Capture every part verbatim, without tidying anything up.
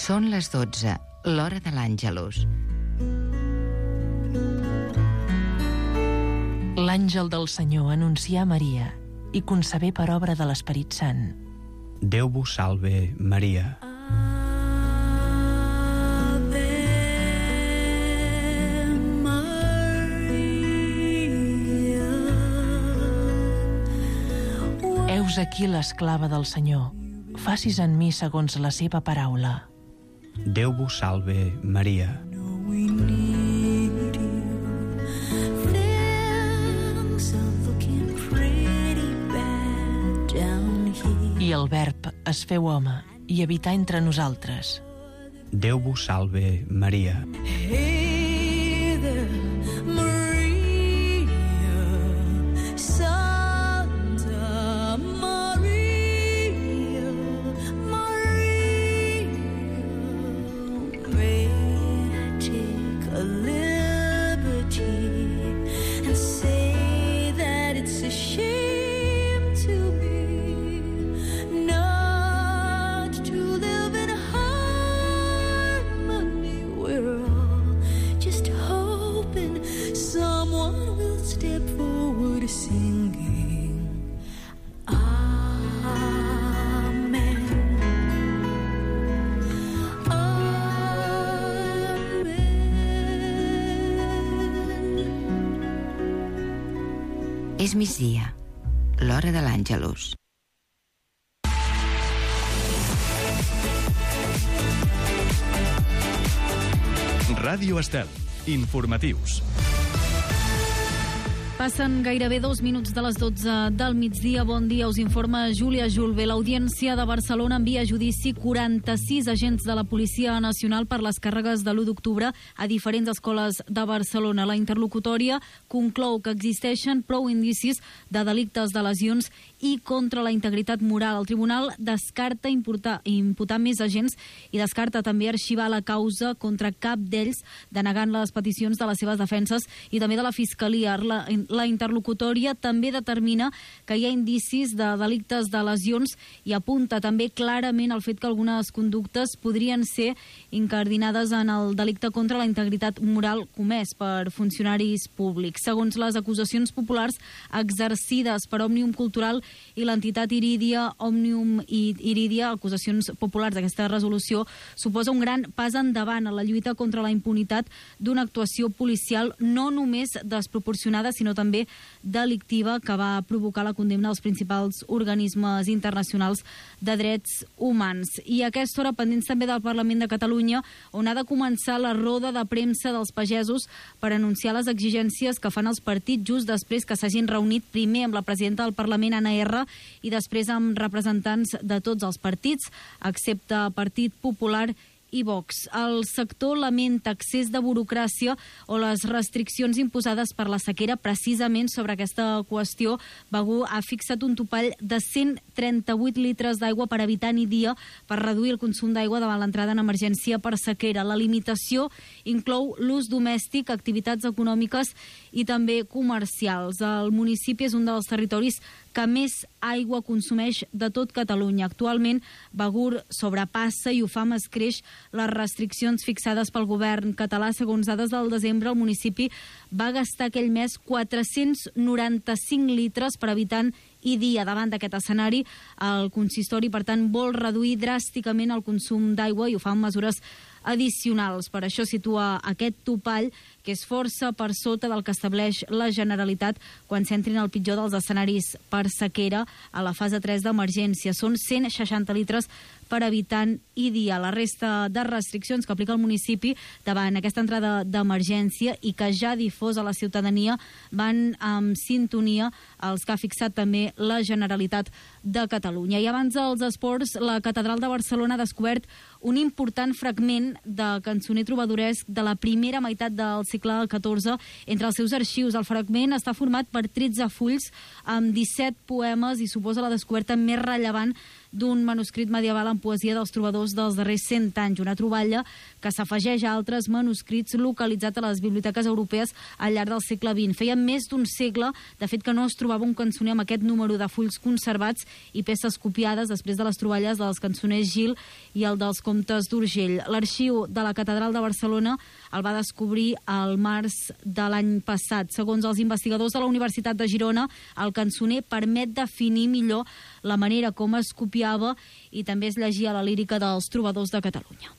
Són les dotze, l'hora de l'Àngelus. L'àngel del Senyor anuncià a Maria i concebé per obra de l'Esperit Sant. Déu vos salve, Maria. Heus aquí l'esclava del Senyor. Facis en mi segons la seva paraula. Déu vos salve, Maria. I el Verb es feu home i habità entre nosaltres. Déu vos salve, Maria. És migdia, l'hora de l'Àngelus. Ràdio Estel, informatius. Passen gairebé dos minuts de les dotze del migdia. Bon dia, us informa Júlia Julve. L'Audiència de Barcelona envia a judici quaranta-sis agents de la Policia Nacional per les càrregues de l'u d'octubre a diferents escoles de Barcelona. La interlocutòria conclou que existeixen prou indicis de delictes de lesions i contra la integritat moral. El tribunal descarta imputar, imputar més agents i descarta també arxivar la causa contra cap d'ells, denegant les peticions de les seves defenses i també de la Fiscalia. La, la interlocutòria també determina que hi ha indicis de delictes de lesions i apunta també clarament el fet que algunes conductes podrien ser incardinades en el delicte contra la integritat moral comès per funcionaris públics. Segons les acusacions populars exercides per Òmnium Cultural i l'entitat Irídia, Òmnium i Irídia, acusacions populars d'aquesta resolució, suposa un gran pas endavant a la lluita contra la impunitat d'una actuació policial no només desproporcionada, sinó també delictiva, que va provocar la condemna dels principals organismes internacionals de drets humans. I a aquesta hora, pendents també del Parlament de Catalunya, on ha de començar la roda de premsa dels pagesos per anunciar les exigències que fan els partits just després que s'hagin reunit primer amb la presidenta del Parlament, Anna R, i després amb representants de tots els partits, excepte Partit Popular i Vox. El sector lamenta excés de burocràcia o les restriccions imposades per la sequera. Precisament sobre aquesta qüestió, Begur ha fixat un topall de cent trenta-vuit litres d'aigua per habitant i dia per reduir el consum d'aigua davant l'entrada en emergència per sequera. La limitació inclou l'ús domèstic, activitats econòmiques i també comercials. El municipi és un dels territoris que més aigua consumeix de tot Catalunya. Actualment, Begur sobrepassa i ho fa amb escreix les restriccions fixades pel govern català. Segons dades del desembre, el municipi va gastar aquell mes quatre-cents noranta-cinc litres per habitant i dia. Davant d'aquest escenari, el consistori, per tant, vol reduir dràsticament el consum d'aigua i ho fa amb mesures addicionals. Per això situa aquest topall, que és força per sota del que estableix la Generalitat quan s'entrin al pitjor dels escenaris per sequera a la fase tres d'emergència. Són cent seixanta litres per habitant i dia. La resta de restriccions que aplica el municipi davant aquesta entrada d'emergència i que ja ha difós a la ciutadania van en sintonia als que ha fixat també la Generalitat de Catalunya. I abans dels esports, la Catedral de Barcelona ha descobert un important fragment de cançoner trobadoresc de la primera meitat del segle catorze entre els seus arxius. El fragment està format per tretze fulls amb disset poemes i suposa la descoberta més rellevant d'un manuscrit medieval en poesia dels trobadors dels darrers cent anys, una troballa que s'afegeix a altres manuscrits localitzats a les biblioteques europees al llarg del segle vint. Feia més d'un segle, de fet, que no es trobava un cançoner amb aquest número de fulls conservats i peces copiades després de les troballes dels cançoners Gil i el dels comtes d'Urgell. L'arxiu de la Catedral de Barcelona el va descobrir al març de l'any passat. Segons els investigadors de la Universitat de Girona, el cançoner permet definir millor la manera com es copiava i també es llegia la lírica dels trobadors de Catalunya.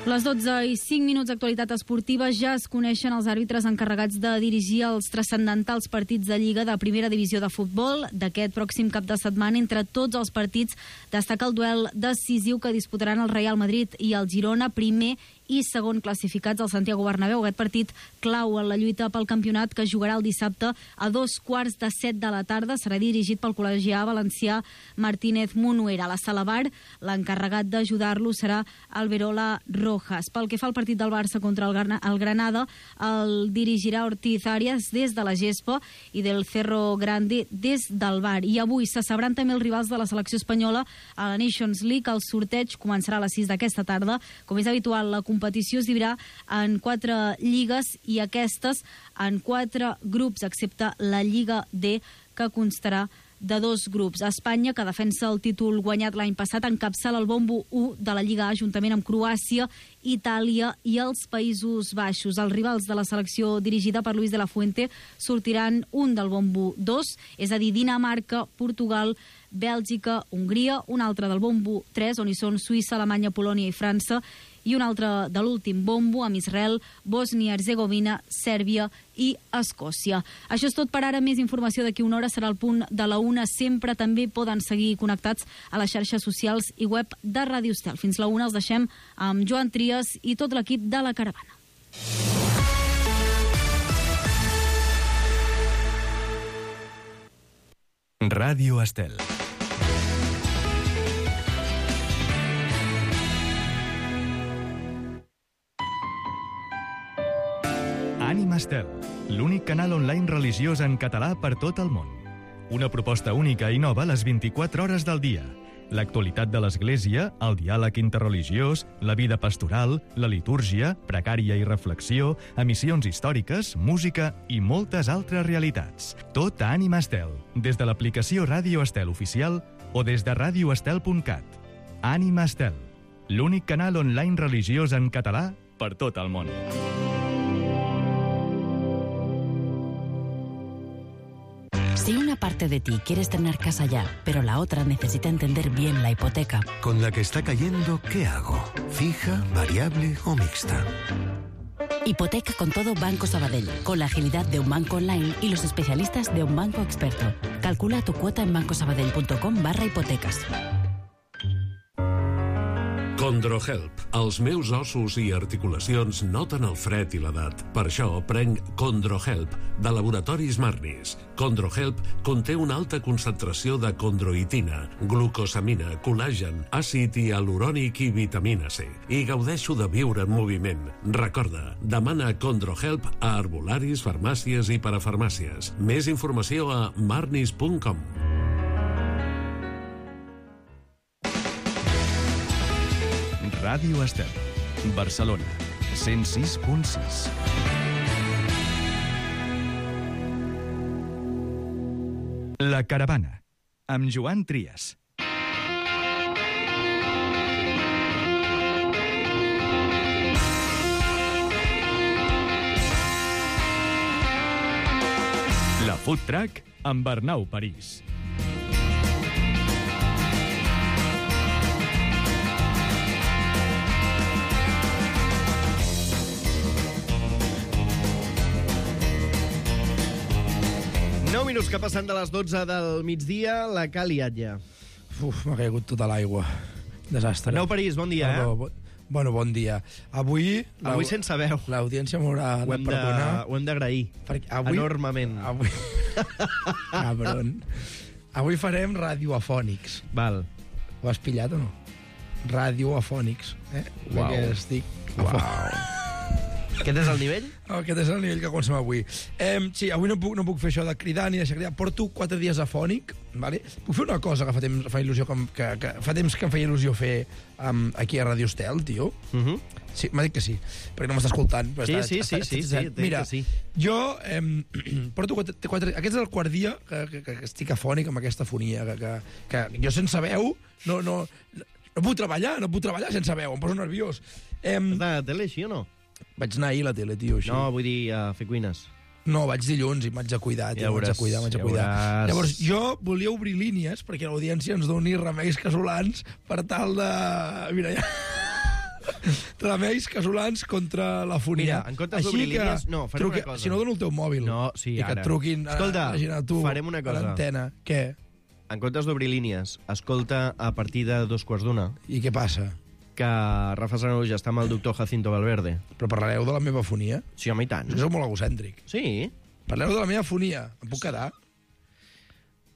Les dotze i cinc minuts d'actualitat esportiva. Ja es coneixen els àrbitres encarregats de dirigir els transcendentals partits de Lliga de Primera Divisió de Futbol d'aquest pròxim cap de setmana. Entre tots els partits destaca el duel decisiu que disputaran el Real Madrid i el Girona, primer i segon classificats al Santiago Bernabéu. Aquest partit clau en la lluita pel campionat que jugarà el dissabte a dos quarts de set de la tarda. Serà dirigit pel col·legià valencià Martínez Munuera. A la sala bar, l'encarregat d'ajudar-lo serà Alberola Rojas. Pel que fa al partit del Barça contra el, Gran el Granada, el dirigirà Ortiz Arias des de la gespa i del Cerro Grande des del bar. I avui se sabran també els rivals de la selecció espanyola a la Nations League. El sorteig començarà a les sis d'aquesta tarda. Com és habitual, la competició es dividirà en quatre lligues i aquestes en quatre grups, excepte la Lliga D, que constarà de dos grups. Espanya, que defensa el títol guanyat l'any passat, encapçala el bombo u de la Lliga A juntament amb Croàcia, Itàlia i els Països Baixos. Els rivals de la selecció dirigida per Luis de la Fuente sortiran un del bombo dos, és a dir, Dinamarca, Portugal, Bèlgica, Hongria, un altre del bombo tres, on hi són Suïssa, Alemanya, Polònia i França, i un altre de l'últim bombo amb Israel, Bòsnia, Herzegovina, Sèrbia i Escòcia. Això és tot per ara. Més informació d'aquí una hora serà el punt de la una. Sempre també poden seguir connectats a les xarxes socials i web de Ràdio Estel. Fins la una els deixem amb Joan Trias i tot l'equip de La Caravana. Ràdio Estel. Ànima Estel, l'únic canal online religiós en català per tot el món. Una proposta única i nova a les vint-i-quatre hores del dia. L'actualitat de l'Església, el diàleg interreligiós, la vida pastoral, la litúrgia, pregària i reflexió, emissions històriques, música i moltes altres realitats. Tot a Ànima Estel, des de l'aplicació Ràdio Estel oficial o des de radio estel punt cat. Ànima Estel, l'únic canal online religiós en català per tot el món. Si una parte de ti quiere estrenar casa ya, pero la otra necesita entender bien la hipoteca. Con la que está cayendo, ¿qué hago? ¿Fija, variable o mixta? Hipoteca con todo Banco Sabadell, con la agilidad de un banco online y los especialistas de un banco experto. Calcula tu cuota en bancosabadell punto com barra hipotecas. Condrohelp. Els meus ossos i articulacions noten el fred i l'edat. Per això prenc Condrohelp, de Laboratoris Marnis. Condrohelp conté una alta concentració de condroitina, glucosamina, col·làgen, àcid hialurònic i vitamina C. I gaudeixo de viure en moviment. Recorda, demana Condrohelp a herbolaris, farmàcies i parafarmàcies. Més informació a marnis punt com. Ràdio Estel, Barcelona, cent sis punt sis. La Caravana, amb Joan Trias. La Food Truck amb Arnau París. nou minuts que passen de les dotze del migdia, la que ha liat ja. Uf, m'ha caigut tota l'aigua. Desastre. Arnau París, bon dia, eh? Bo, bueno, bon dia. Avui... Avui sense veu. L'audiència m'haurà de perdonar. Ho hem d'agrair. Avui, enormement. Avui... Cabron. Avui farem radioafònics. Val. Ho has pillat o no? Radioafònics. Eh? Uau. Perquè estic... Uau. Aquest és el nivell? Aquest és el nivell que comencem avui. Eh, sí, avui no puc, no puc fer això de cridar ni deixar cridar. Porto quatre dies afònic, vale? Puc fer una cosa que fa temps, fa il·lusió, que, que, que fa temps que em feia il·lusió fer um, aquí a Radio Estel, tio. Uh -huh. Sí, m'ha dit que sí, perquè no m'està escoltant. Sí, està, sí, està, sí, està, sí, sí, Mira, que sí. jo eh, porto quatre, quatre... Aquest és el quart dia que, que, que estic afònic amb aquesta fonia, que, que, que jo sense veu no, no, no puc treballar, no puc treballar sense veu, em poso nerviós. Eh, Has d'anar a la tele, així o no? Vaig anar ahir a la tele, tio, així. No, vull dir, a fer cuines. No, vaig dilluns i m'haig de cuidar, tio, Ja m'haig de veuràs, cuidar, m'haig de ja cuidar. veuràs. Llavors, jo volia obrir línies perquè l'audiència ens doni remeis casolans per tal de... Mira, ja... remeis casolans contra la fonia. Mira, en comptes d'obrir línies, no, farem truque, una cosa. Si no, dono el teu mòbil. No, sí, I que ara. et truquin... Escolta, a, a tu, farem una cosa. A l'antena. Què? En comptes d'obrir línies, escolta a partir de dos quarts d'una I què passa? que Rafa Sanaluja està amb el doctor Jacinto Valverde. Però parlareu de la meva fonia? Sí, home, i tant. Jo soc molt egocèntric. Sí. Parleu de la meva fonia. Em puc quedar?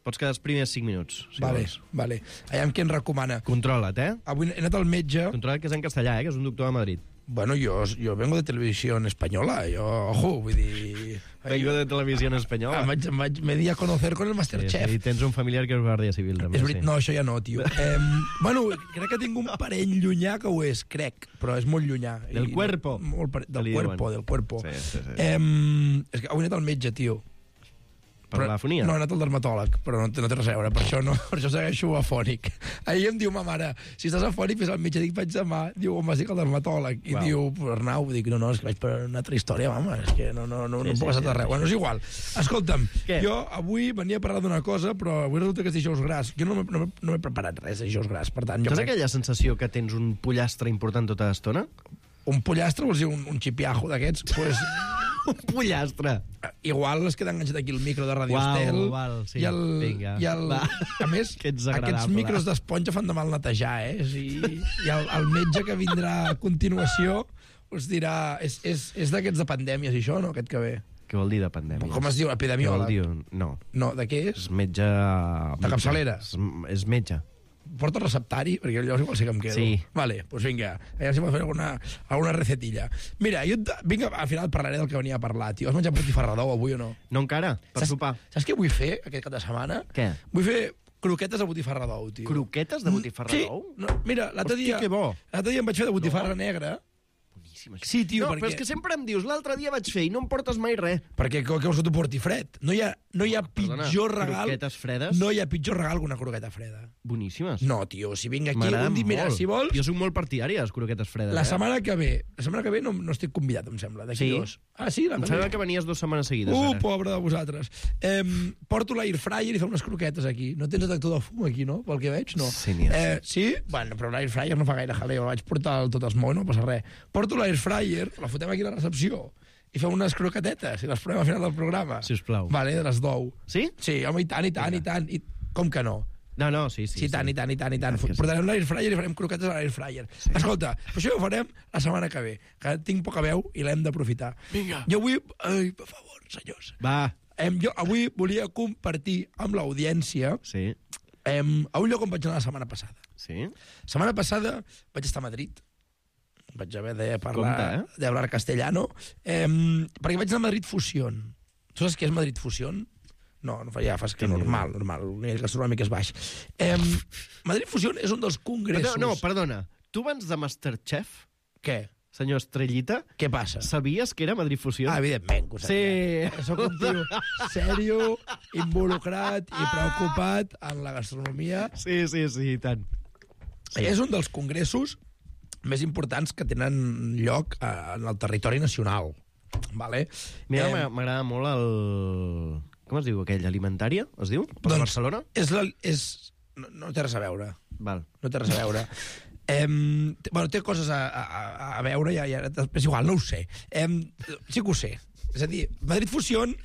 Pots quedar els primers cinc minuts, si Vale, vols. vale. Aviam què em recomana. Controla't, eh? Avui he anat al metge... Controla't, que és en castellà, eh? Que és un doctor de Madrid. Bueno, yo, yo vengo de televisión española, yo, ojo, vull dir... Vengo de televisió espanyola. Em vaig, em vaig, me di a conocer con el Masterchef. Sí, sí, tens un familiar que és guàrdia civil, també. És veritat, sí. no, això ja no, tio. Eh, bueno, crec que tinc un parell llunyà que ho és, crec, però és molt llunyà. Del I, cuerpo. Molt pare... Del Li cuerpo, diuen. del cuerpo. Sí, sí, sí. Eh, és que avui he anat al metge, tio. Per la fonia? No, he anat al dermatòleg, però no, té- no té res a veure, per això, no, per això segueixo afònic. Ahir em diu ma mare, si estàs afònic, fes al metge, dic, vaig demà. Diu, on vas dir que al dermatòleg? I Uau. diu, Arnau, dic, no, no, és que vaig per una altra història, mama, és que no, no, no, Sí, no em sí, puc passar sí, de res. sí. Bueno, és igual. Escolta'm, Què? jo avui venia a parlar d'una cosa, però avui resulta que és dijous gras. Jo no m'he no, m'he- no m'he preparat res de dijous gras, per tant, jo Tens crec... aquella sensació que tens un pollastre important tota l'estona? Un pollastre, vols dir un, un xipiajo d'aquests? Pues, Un pollastre! igual es queda enganxat aquí el micro de Radio Uau, Estel. val, sí, I el, vinga, i el, va. a més, Que ets agradable. aquests micros d'esponja fan de mal netejar, eh? I, i el, el metge que vindrà a continuació us dirà... És, és, és d'aquests de pandèmies, i això, no? Aquest que ve. Què vol dir de pandèmia? Com es diu? Què vol Epidemiòleg? dir? No, No, de què és? és metge... De capçalera? És, és metge. Porta el receptari? Perquè llavors igual sí que em quedo. Sí. Vale, doncs pues vinga. A veure si m'ha fer alguna, alguna recetilla. Mira, jo... et- Vinga, al final parlaré del que venia a parlar, tio. Has menjat botifarrador avui o no? No encara? Per Saps- sopar. Saps què vull fer aquest cap de setmana? Què? Vull fer croquetes de botifarrador, tio. Croquetes de botifarra Sí, d'ou? no, mira, l'altre Hosti, dia... que bo. L'altre dia em vaig fer de botifarra negra. Boníssim, això. Sí, tio, no, perquè... però és que sempre em dius, l'altre dia vaig fer i no em portes mai res. Perquè què vols que t'ho porti fred? No hi ha, no hi ha Perdona, pitjor regal... croquetes fredes? No hi ha pitjor regal que una croqueta freda. Boníssimes. No, tio, si vinc aquí... M'agraden Un dia, mira, molt. si vols... Jo soc molt partidari de les croquetes fredes. La eh? setmana que ve... La setmana que ve no, no estic convidat, em sembla, d'aquí Sí? dos. Ah, sí? La Em que sembla ve. que venies dues setmanes seguides. Uh, ara. pobre de vosaltres. Eh, porto l'air fryer i fem unes croquetes aquí. No tens detector de fum aquí, no? Pel que veig, no. Sí, n'hi ha, eh, sí? Bueno, però l'air fryer no fa gaire jaleo. El vaig portar al tot esmou, no passa res. Porto l'air fryer, la fotem aquí a la recepció i fem unes croquetetes i les provem al final del programa. Sisplau. Vale, de les d'ou. Sí? Sí, home, i tant, i tant, i tant. I... Com que no? No, no, sí, sí. Sí, i tant, i tant, i tant, i tant. Ah, que sí. Portarem l'air fryer i farem croquetes a l'air fryer. Sí. Escolta, però això ho farem la setmana que ve, que tinc poca veu i l'hem d'aprofitar. Vinga. Jo avui... Ai, per favor, senyors. Va. Em, jo avui volia compartir amb l'audiència Sí. em, a un lloc on vaig anar la setmana passada. Sí? La setmana passada vaig estar a Madrid. Vaig haver de parlar, Compte, eh? de hablar castellano, em, perquè vaig anar a Madrid Fusión. Tu saps què és Madrid Fusión? No, no fa, ja fas que Quin normal, normal, el nivell gastronòmic és baix. Em, Madrid Fusión és un dels congressos... No, no, perdona. Tu abans de Masterchef, Què? senyor Estrellita, Què passa? sabies que era Madrid Fusió? Ah, evidentment que ho sabia. Sí. Soc un tio sèrio, involucrat i preocupat en la gastronomia. Sí, sí, sí, i tant. Sí. És un dels congressos més importants que tenen lloc eh, en el territori nacional. Vale? Mira, Eh, m'agrada- m'agrada molt el... Com es diu aquell? Alimentària, es diu? Per doncs, Barcelona? És la, és, no, no té res a veure. Val. No té res a veure. Em, té, bueno, té coses a, a, a veure, ja, ja, és igual, no ho sé. Em, sí que ho sé. És a dir, Madrid Fusión,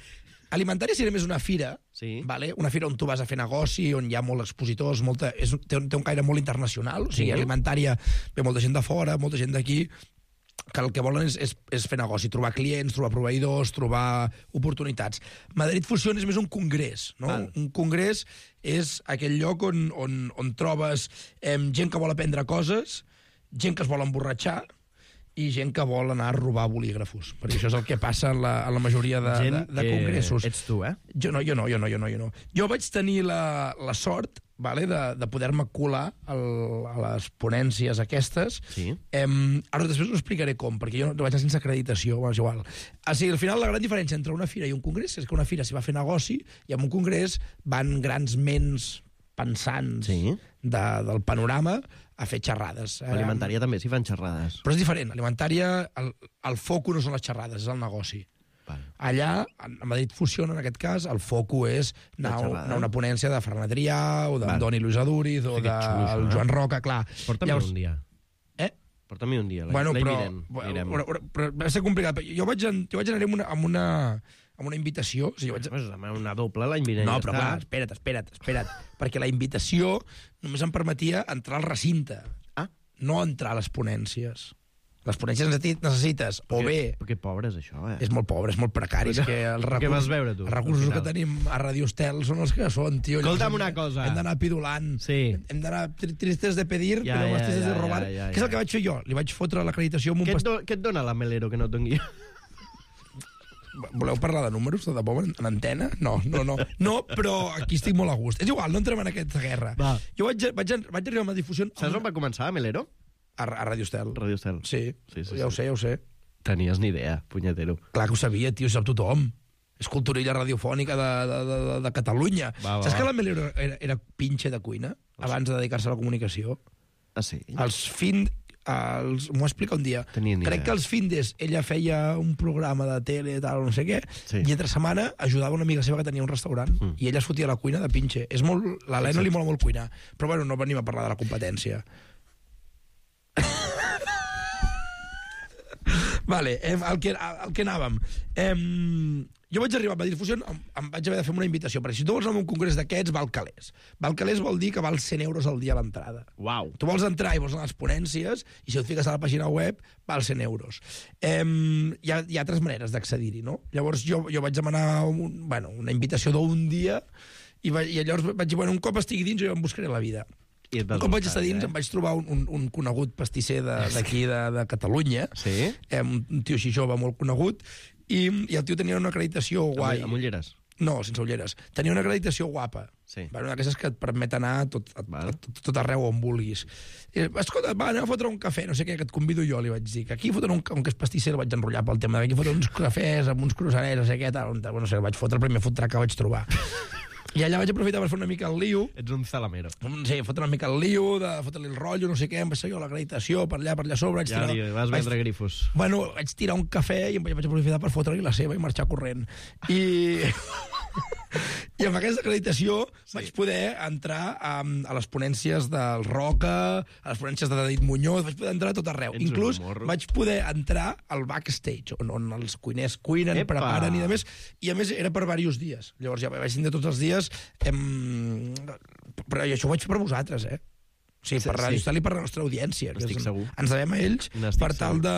alimentària seria més una fira, Sí. vale? Una fira on tu vas a fer negoci, on hi ha molts expositors, molta, és, un- té, un, té un caire molt internacional, o sigui, Sí. alimentària ve molta gent de fora, molta gent d'aquí, que el que volen és, és, és fer negoci, trobar clients, trobar proveïdors, trobar oportunitats. Madrid Fusión és més un congrés, no? Val. Un congrés és aquell lloc on, on, on trobes eh, gent que vol aprendre coses, gent que es vol emborratxar i gent que vol anar a robar bolígrafos, perquè això és el que passa en la, en la majoria de, gent, de, de congressos. Eh, ets tu, eh? Jo no, jo no, jo no, jo no. Jo, no. jo vaig tenir la, la sort, vale, de, de poder-me colar al, a les ponències aquestes. Sí. Em, ara després us explicaré com, perquè jo no vaig anar sense acreditació, és igual. O sigui, al final la gran diferència entre una fira i un congrés és que una fira s'hi va fer negoci i en un congrés van grans ments pensants sí. de, del panorama a fer xerrades. Alimentària també s'hi fan xerrades. Però és diferent. Alimentària, el, el foco no són les xerrades, és el negoci. Vale. Allà, a Madrid Fusiona, en aquest cas, el foco és anar, anar a una ponència de Ferran Adrià, o d'Andoni Luis Aduriz, o del de Joan Roca, clar. Porta'm Llavors, un dia. Eh? Porta'm un dia, bueno, l'any però, vinent. Però, però, però va ser complicat. Jo vaig, jo vaig anar amb una, amb una, amb una invitació. O sigui, jo vaig... Pues una doble l'any vinent. No, però clar, espera't, espera't, espera't. Perquè la invitació només em permetia entrar al recinte. Ah. No entrar a les ponències. Les ponències necessites, o bé... Perquè pobre és això, eh? És molt pobre, és molt precari. És que els recursos, què vas veure, tu? Els recursos que tenim a Radio Estel són els que són, tio. Escolta'm una cosa. Hem d'anar pidulant. Sí. Hem d'anar tristes de pedir, ja, però ja, tristes ja, de robar. ja, ja, ja. Què és el que vaig fer jo? Li vaig fotre l'acreditació amb un... Què et, past... do, què et dona la Melero que no et doni? Voleu parlar de números, de debò, en antena? No, no, no. No, però aquí estic molt a gust. És igual, no entrem en aquesta guerra. Va. Jo vaig, vaig, vaig arribar amb la difusió... Saps on va començar, Melero? A, a Radio Estel. Radio Estel. Sí, sí, sí ja ho sí. sé, ja ho sé. Tenies ni idea, punyetero. Clar que ho sabia, tio, sap tothom. És culturilla radiofònica de, de, de, de Catalunya. Va, va, Saps va. que la Melero era, era pinche de cuina abans de dedicar-se a la comunicació? Ah, sí? Els fin... Els... M'ho explica un dia. Tenia ni Crec idea. que els findes ella feia un programa de tele, tal, no sé què, sí. I entre setmana ajudava una amiga seva que tenia un restaurant mm. i ella es fotia a la cuina de pinche. És molt... L'Helena sí, sí. li mola molt cuinar. Però bueno, no venim a parlar de la competència. Vale, eh, el, que, el que anàvem. Eh, jo vaig arribar a Madrid Fusió, em, em vaig haver de fer una invitació, perquè si tu vols anar a un congrés d'aquests, val calés. Val calés vol dir que val cent euros al dia a l'entrada. Uau. Tu vols entrar i vols anar a les ponències, i si et fiques a la pàgina web, val cent euros. Eh, hi, ha, hi ha altres maneres d'accedir-hi, no? Llavors jo, jo vaig demanar un, bueno, una invitació d'un dia, i, va, i llavors vaig dir, bueno, un cop estigui dins jo em buscaré la vida. Un cop vaig estar dins, eh? em vaig trobar un, un, un conegut pastisser d'aquí, de, de, de Catalunya, sí? eh, un tio així jove molt conegut, i, i el tio tenia una acreditació guai. Amb ulleres? No, sense ulleres. Tenia una acreditació guapa. Sí. Una d'aquestes que et permet anar a tot, a, a, tot, tot arreu on vulguis. I, escolta, va, anem a fotre un cafè, no sé què, que et convido jo, li vaig dir. Que aquí fotre un, un que és pastisser, el vaig enrotllar pel tema. Aquí fotre uns cafès amb uns croissanets, no sé què, tal. Bueno, no sé, el vaig fotre el primer fotre que vaig trobar. I allà vaig aprofitar per fer una mica el lío. Ets un salamero. Sí, fotre una mica el lío, de fotre-li el rotllo, no sé què, em vaig seguir l'acreditació per allà, per allà sobre. Ja, tirar, li vas vaig, vendre grifos. Bueno, vaig tirar un cafè i em vaig aprofitar per fotre-li la seva i marxar corrent. I... I amb aquesta acreditació sí. vaig poder entrar a, a les ponències del Roca, a les ponències de David Muñoz, vaig poder entrar a tot arreu. Ets Inclús vaig poder entrar al backstage, on, on els cuiners cuinen, Epa. preparen i de més, i a més era per diversos dies. Llavors ja vaig tindre tots els dies, em... però això ho vaig fer per vosaltres, eh? Sí, per Radio Estel i per la nostra audiència. Estic segur. Ens devem a ells per tal de,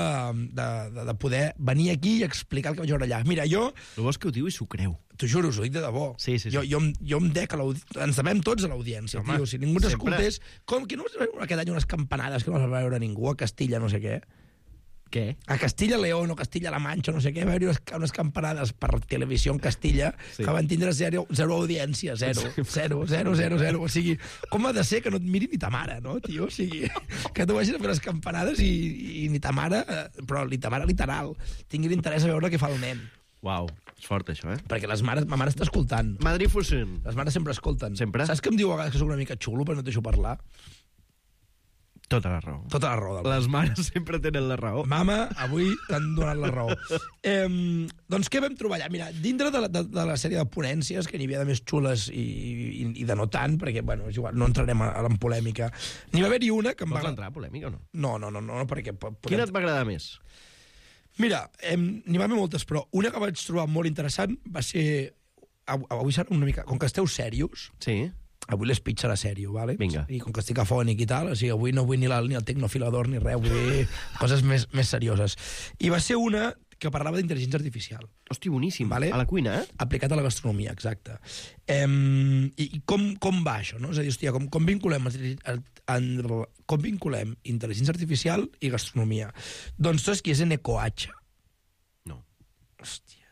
de, de, de poder venir aquí i explicar el que vaig veure allà. Mira, jo... El bo és que ho diu i s'ho creu. T'ho juro, us ho dic de debò. Sí, sí, sí. Jo, jo, jo em dec a l'audiència. Ens devem tots a l'audiència, tio. Si ningú ens escoltés... Com que no vas veure aquest any unes campanades que no vas veure ningú a Castilla, no sé què? Què? A Castilla-León o Castilla-La Manxa, no sé què, va haver unes, unes campanades per televisió en Castilla sí. que van tindre zero, zero audiència, zero, zero, zero, zero, zero. O sigui, com ha de ser que no et miri ni ta mare, no, tio? O sigui, que tu vagis a fer les campanades i, i ni ta mare, però ni ta mare literal, tingui l'interès a veure què fa el nen. Uau, és fort això, eh? Perquè les mares, ma mare està escoltant. Madrid Fusion. Les mares sempre escolten. Sempre? Saps que em diu a vegades que soc una mica xulo però no et deixo parlar? Tota la raó. Tota la raó. Les mares sempre tenen la raó. Mama, avui t'han donat la raó. eh, doncs què vam trobar allà? Mira, dintre de la, de, de la sèrie de ponències, que n'hi havia de més xules i, i, i de no tant, perquè, bueno, és igual, no entrarem a, a en polèmica. N'hi va haver-hi una que em Vols va... entrar a polèmica o no? No, no, no, no perquè... Podem... Quina et va agradar més? Mira, eh, n'hi va haver moltes, però una que vaig trobar molt interessant va ser... Avui serà una mica... Com que esteu serios... Sí. Avui les pitja la sèrio, ¿vale? Vinga. I com que estic afònic i tal, o sigui, avui no vull ni, la, ni el tecnofilador ni res, vull dir coses més, més serioses. I va ser una que parlava d'intel·ligència artificial. Hosti, boníssim. Vale? A la cuina, eh? Aplicat a la gastronomia, exacte. Um, I i com, com va això, no? És a dir, hòstia, com, com, vinculem, en, en, com vinculem intel·ligència artificial i gastronomia? Doncs tu saps qui és Eneko H? No. Hòstia.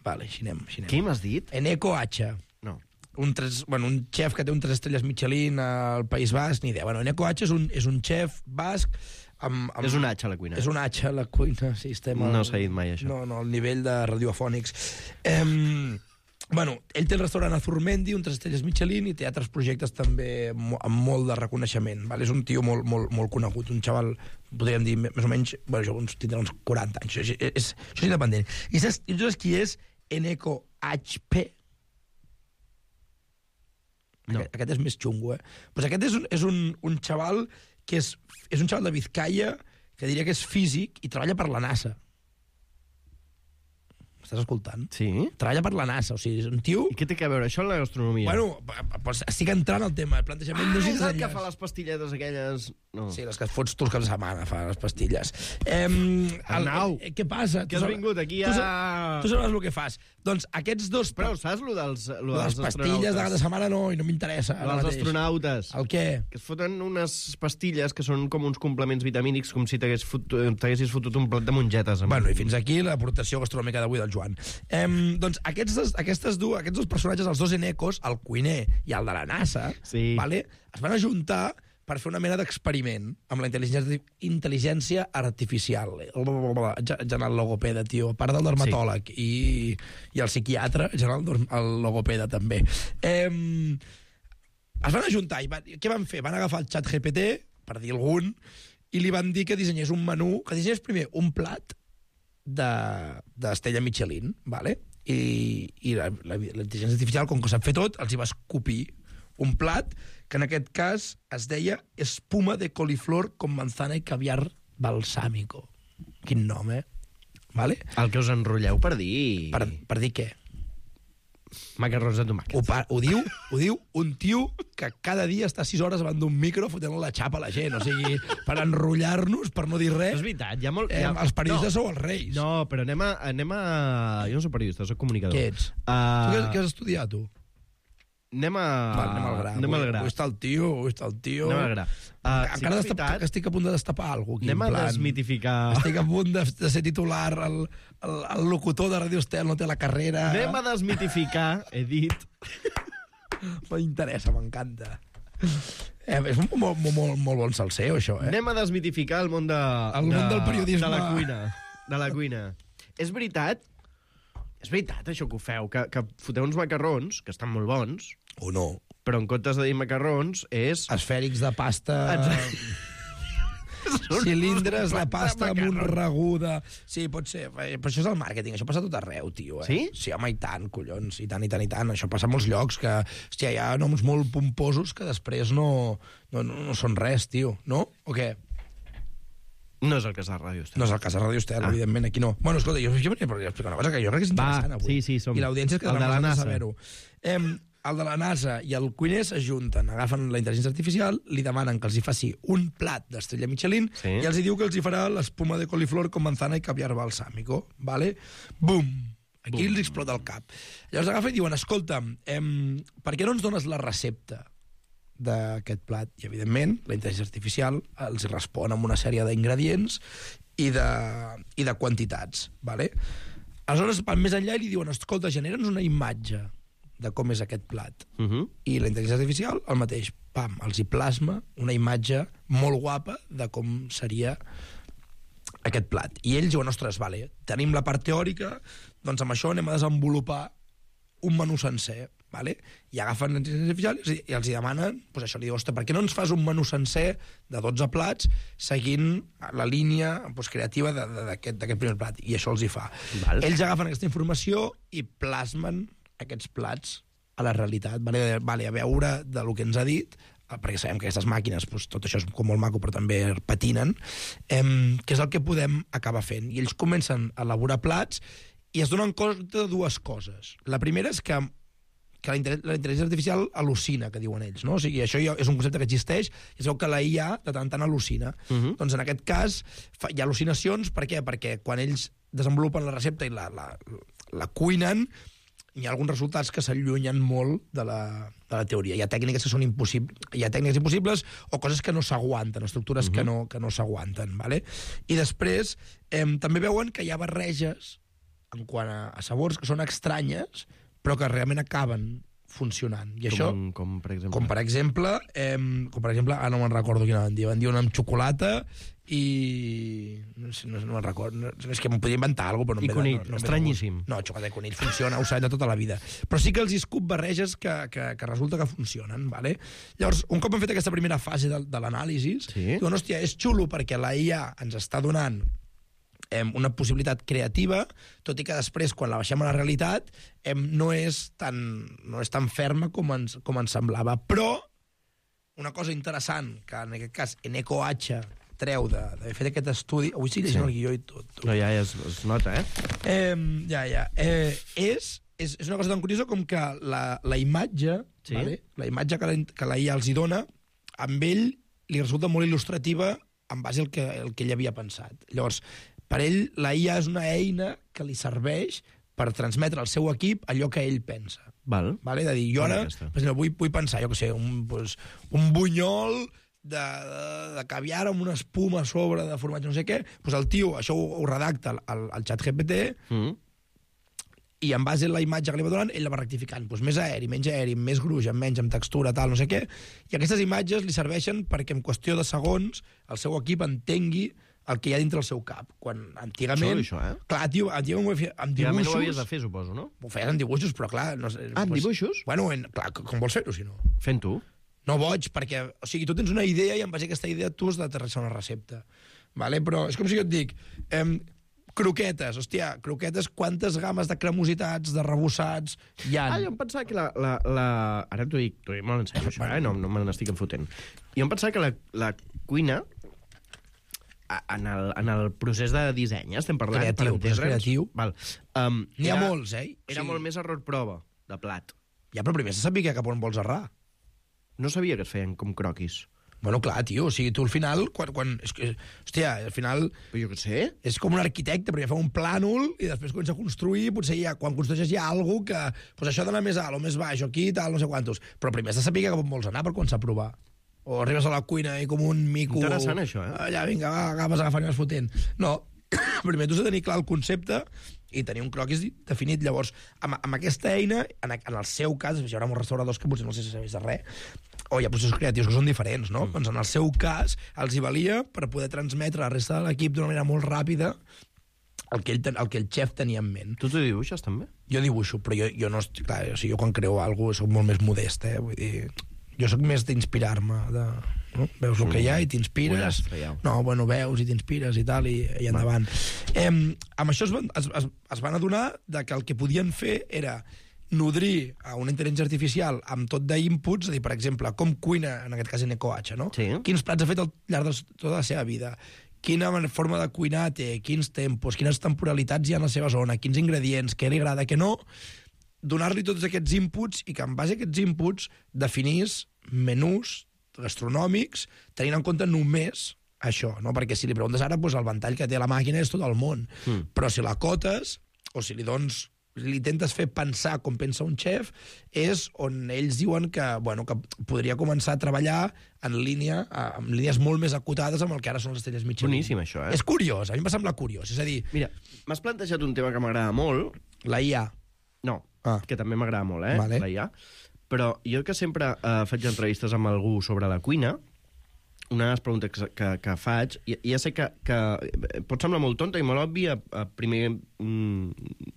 Vale, així anem. Així anem. Qui m'has dit? Eneko H. No. Un, tres, bueno, un xef que té un tres estrelles Michelin al País Basc, ni idea. Bueno, Eneko H és un, és un xef basc. Amb, amb... És un H a la cuina. És un H a la cuina, sí, estem... No al... s'ha dit mai, això. No, no, al nivell de radiofònics. Um, bueno, ell té el restaurant Azurmendi, un tres estrelles Michelin, i té altres projectes també amb molt de reconeixement. Vale? És un tio molt, molt, molt conegut, un xaval, podríem dir, més o menys, bueno, jo uns, tindrà uns quaranta anys. Això és, és, això és independent. I saps, i saps qui és Eneko H P? No. Aquest, aquest és més xungo, eh? Pues aquest és un, és un, un xaval que és, és un xaval de Vizcaya que diria que és físic i treballa per la NASA. Estàs escoltant? Sí. Treballa per la NASA, o sigui, és un tio... I què té a veure això amb la gastronomia? Bueno, pues estic entrant al tema, el plantejament... Ah, no és el que fa les pastilletes aquelles... No. Sí, les que fots tu els caps de setmana, fa les pastilles. Eh, Arnau, el, què passa? que has vingut aquí a... Tu saps, tu saps el que fas. Doncs aquests dos... Però saps lo dels, lo les dels pastilles de cada setmana no, i no m'interessa. Lo dels astronautes. El què? Que es foten unes pastilles que són com uns complements vitamínics, com si t'haguessis fotut, t'haguessis fotut un plat de mongetes. Amb... Bueno, i fins aquí l'aportació gastronòmica d'avui del Joan. Eh, doncs aquests, aquestes dues, aquests dos personatges, els dos Enekos, el cuiner i el de la NASA, sí. Vale, es van ajuntar per fer una mena d'experiment amb la intel·ligència, intel·ligència artificial. Ja el logopeda, tio. A part del dermatòleg sí. i, i el psiquiatre, ja el, el logopeda també. Eh, es van ajuntar i van, què van fer? Van agafar el xat G P T, per dir algun, i li van dir que dissenyés un menú, que dissenyés primer un plat d'estella de, Michelin, vale? I, i la, la, la intel·ligència artificial, com que sap fer tot, els hi va escopir un plat que en aquest cas es deia espuma de coliflor con manzana i caviar balsámico. Quin nom, eh? Vale? El que us enrotlleu per dir... Per, per dir què? Macarrons de tomàquet. Ho, pa, ho, diu, ho diu un tio que cada dia està sis hores davant d'un micro fotent la xapa a la gent. O sigui, per enrotllar-nos, per no dir res... És veritat, hi ha molt... Eh, hi ha... Els periodistes no. sou els reis. No, però anem a... Anem a... Jo no soc periodista, soc comunicador. Què ets? Uh... Tu què, què has estudiat, tu? Anem a... Val, anem al gra. Anem al gra. Avui està el tio, avui està el tio... Anem al gra. Uh, Encara sí, destapar, que estic a punt de destapar alguna cosa. Anem a plan, desmitificar... Estic a punt de, de ser titular, el, el, el locutor de Radio Estel no té la carrera... Anem a desmitificar, he dit... M'interessa, m'encanta. Eh, és un molt, molt, molt bon salseo, això, eh? Anem a desmitificar el món de... El món de, del periodisme. De la cuina. De la cuina. És veritat... És veritat, això que ho feu, que, que foteu uns macarrons, que estan molt bons... O no. Però en comptes de dir macarrons, és... Esfèrics de pasta... Cilindres de pasta amb un ragú de... Sí, pot ser. Però això és el màrqueting. Això passa a tot arreu, tio. Eh? Sí? Sí, home, i tant, collons. I tant, i tant, i tant. Això passa a molts llocs que... Hòstia, hi ha noms molt pomposos que després no, no, no, no són res, tio. No? O què? No és el cas de Ràdio Estel. No és el cas de Ràdio Estel, ah. evidentment, aquí no. Bueno, escolta, jo, jo venia per explicar una cosa que jo crec que és interessant Va, avui. sí, sí, som. I l'audiència que el de la NASA. saber-ho. Eh, el de la NASA i el cuiner s'ajunten, agafen la intel·ligència artificial, li demanen que els hi faci un plat d'estrella Michelin sí. i els hi diu que els hi farà l'espuma de coliflor con manzana i caviar balsámico. Vale? Bum! Aquí Bum. Els explota el cap. Llavors agafen i diuen, escolta, eh, per què no ens dones la recepta d'aquest plat? I, evidentment, la intel·ligència artificial els respon amb una sèrie d'ingredients i de, i de quantitats. Vale? Aleshores, van més enllà i li diuen, escolta, genera'ns una imatge de com és aquest plat. Uh -huh. I la intel·ligència artificial, el mateix, pam, els hi plasma una imatge molt guapa de com seria aquest plat. I ells diuen, ostres, vale, tenim la part teòrica, doncs amb això anem a desenvolupar un menú sencer, vale? I agafen la intel·ligència artificial i, i els hi demanen, doncs això, li diu, ostres, per què no ens fas un menú sencer de dotze plats seguint la línia doncs, creativa d'aquest primer plat? I això els hi fa. Val. Ells agafen aquesta informació i plasmen aquests plats a la realitat, vale, vale, a veure de lo que ens ha dit, perquè sabem que aquestes màquines, doncs, tot això és com molt maco, però també patinen, eh, que és el que podem acabar fent. I ells comencen a elaborar plats i es donen compte de dues coses. La primera és que que la intel·ligència artificial al·lucina, que diuen ells, no? O sigui, això és un concepte que existeix, i es veu que la I A de tant tant al·lucina. Uh -huh. Doncs en aquest cas fa, hi ha al·lucinacions, per què? Perquè quan ells desenvolupen la recepta i la, la, la cuinen, hi ha alguns resultats que s'allunyen molt de la, de la teoria. Hi ha tècniques que són impossibles, hi ha tècniques impossibles o coses que no s'aguanten, estructures uh-huh. que no, que no s'aguanten. Vale? I després eh, també veuen que hi ha barreges en quant a, a sabors que són estranyes, però que realment acaben funcionant. I com, això, com per exemple? Com per exemple, eh, com per exemple, ah, no me'n recordo quina van dir, van dir una amb xocolata i... no sé, no, no me'n recordo, no, és que m'ho podria inventar alguna cosa, però no I em ve... conill, no, no estranyíssim. No, xocolata i conill funciona, ho sabem de tota la vida. Però sí que els escup barreges que, que, que resulta que funcionen, vale? Llavors, un cop hem fet aquesta primera fase de, de l'anàlisi, sí. diuen, hòstia, és xulo perquè la I A ens està donant una possibilitat creativa, tot i que després, quan la baixem a la realitat, no és tan, no és tan ferma com ens, com ens semblava. Però una cosa interessant, que en aquest cas Eneco H treu d'haver fet aquest estudi... Avui sí llegint sí. el guió i tot. Tu. No, ja, ja es, es nota, eh? eh ja, ja. Eh, és, és, és una cosa tan curiosa com que la, la imatge, sí? vale? la imatge que la, que la I A els hi dona, amb ell li resulta molt il·lustrativa en base al que, el que ell havia pensat. Llavors, per ell, la I A és una eina que li serveix per transmetre al seu equip allò que ell pensa. Val. Vale? De dir, jo ara, per exemple, vull, vull pensar, jo què sé, un, pues, un bunyol de, de, de caviar amb una espuma a sobre de formatge, no sé què, doncs el tio, això ho, ho redacta al, al xat G P T, mm. i en base a la imatge que li va donant, ell la va rectificant. Doncs més aeri, menys aeri, més gruix, amb menys, amb textura, tal, no sé què. I aquestes imatges li serveixen perquè en qüestió de segons el seu equip entengui el que hi ha dintre el seu cap. Quan antigament... Això, això, eh? Clar, tio, antigament ho feia amb dibuixos... Antigament ho havies de fer, suposo, no? Ho feies amb dibuixos, però clar... No sé, ah, amb pues, dibuixos? Bueno, en, clar, com vols fer-ho, si no? Fent tu. No boig, perquè... O sigui, tu tens una idea i en base a aquesta idea tu has d'aterrissar una recepta. Vale? Però és com si jo et dic... Eh, croquetes, hòstia, croquetes, quantes games de cremositats, de rebossats hi ha? Ah, jo em pensava que la... la, la... Ara t'ho dic, t'ho dic molt en sèrio, això, eh? No, no me n'estic enfotent. Jo em pensava que la, la cuina, en el, en el procés de disseny, eh? Estem parlant... Creatiu, per creatiu. Val. Um, N'hi ha molts, eh? Era sí. molt més error prova, de plat. Ja, però primer se sabia cap on vols errar. No sabia que es feien com croquis. Bueno, clar, tio, o sigui, tu al final, quan... quan és que, hòstia, al final... Però jo què sé? És com un arquitecte, primer fa un plànol i després comença a construir, potser ja, quan construeixes hi ha alguna cosa que... Pues això d'anar més alt o més baix o aquí, tal, no sé quantos. Però primer has de saber cap on vols anar per començar a provar. O arribes a la cuina i com un mico... Interessant, això, eh? Allà, vinga, va, agafes agafant i vas fotent. No, primer tu has de tenir clar el concepte i tenir un croquis definit. Llavors, amb, amb aquesta eina, en, en el seu cas, hi haurà molts restauradors que potser no sé si sabés de res, o hi ha processos creatius que són diferents, no? Mm. Doncs en el seu cas, els hi valia per poder transmetre a la resta de l'equip d'una manera molt ràpida el que, ell, el que el xef tenia en ment. Tu t'ho dibuixes, també? Jo dibuixo, però jo, jo no... Clar, o sigui, jo quan creo alguna cosa soc molt més modest, eh? Vull dir... Jo sóc més d'inspirar-me, de... No? Veus el que hi ha i t'inspires. No, bueno, veus i t'inspires i tal, i, i endavant. Eh, amb això es van, es, es, es van adonar de que el que podien fer era nodrir a una intel·ligència artificial amb tot d'inputs, és a dir, per exemple, com cuina, en aquest cas Eneco H, no? Sí. Quins plats ha fet al llarg de tota la seva vida, quina forma de cuinar té, quins tempos, quines temporalitats hi ha en la seva zona, quins ingredients, què li agrada, què no, donar-li tots aquests inputs i que en base a aquests inputs definís menús gastronòmics tenint en compte només això, no? Perquè si li preguntes ara, doncs el ventall que té la màquina és tot el món, mm. però si la cotes o si li dones li intentes fer pensar com pensa un xef, és on ells diuen que, bueno, que podria començar a treballar en línia, amb línies molt més acotades amb el que ara són les estrelles Michelin. Boníssim, això, eh? És curiós, a mi em va semblar curiós. És a dir... Mira, m'has plantejat un tema que m'agrada molt. La I A. No, ah. que també m'agrada molt, eh? Vale. La I A. Però jo que sempre eh, faig entrevistes amb algú sobre la cuina, una de les preguntes que, que, que faig, ja, ja sé que, que pot semblar molt tonta i molt òbvia a, primer, mm,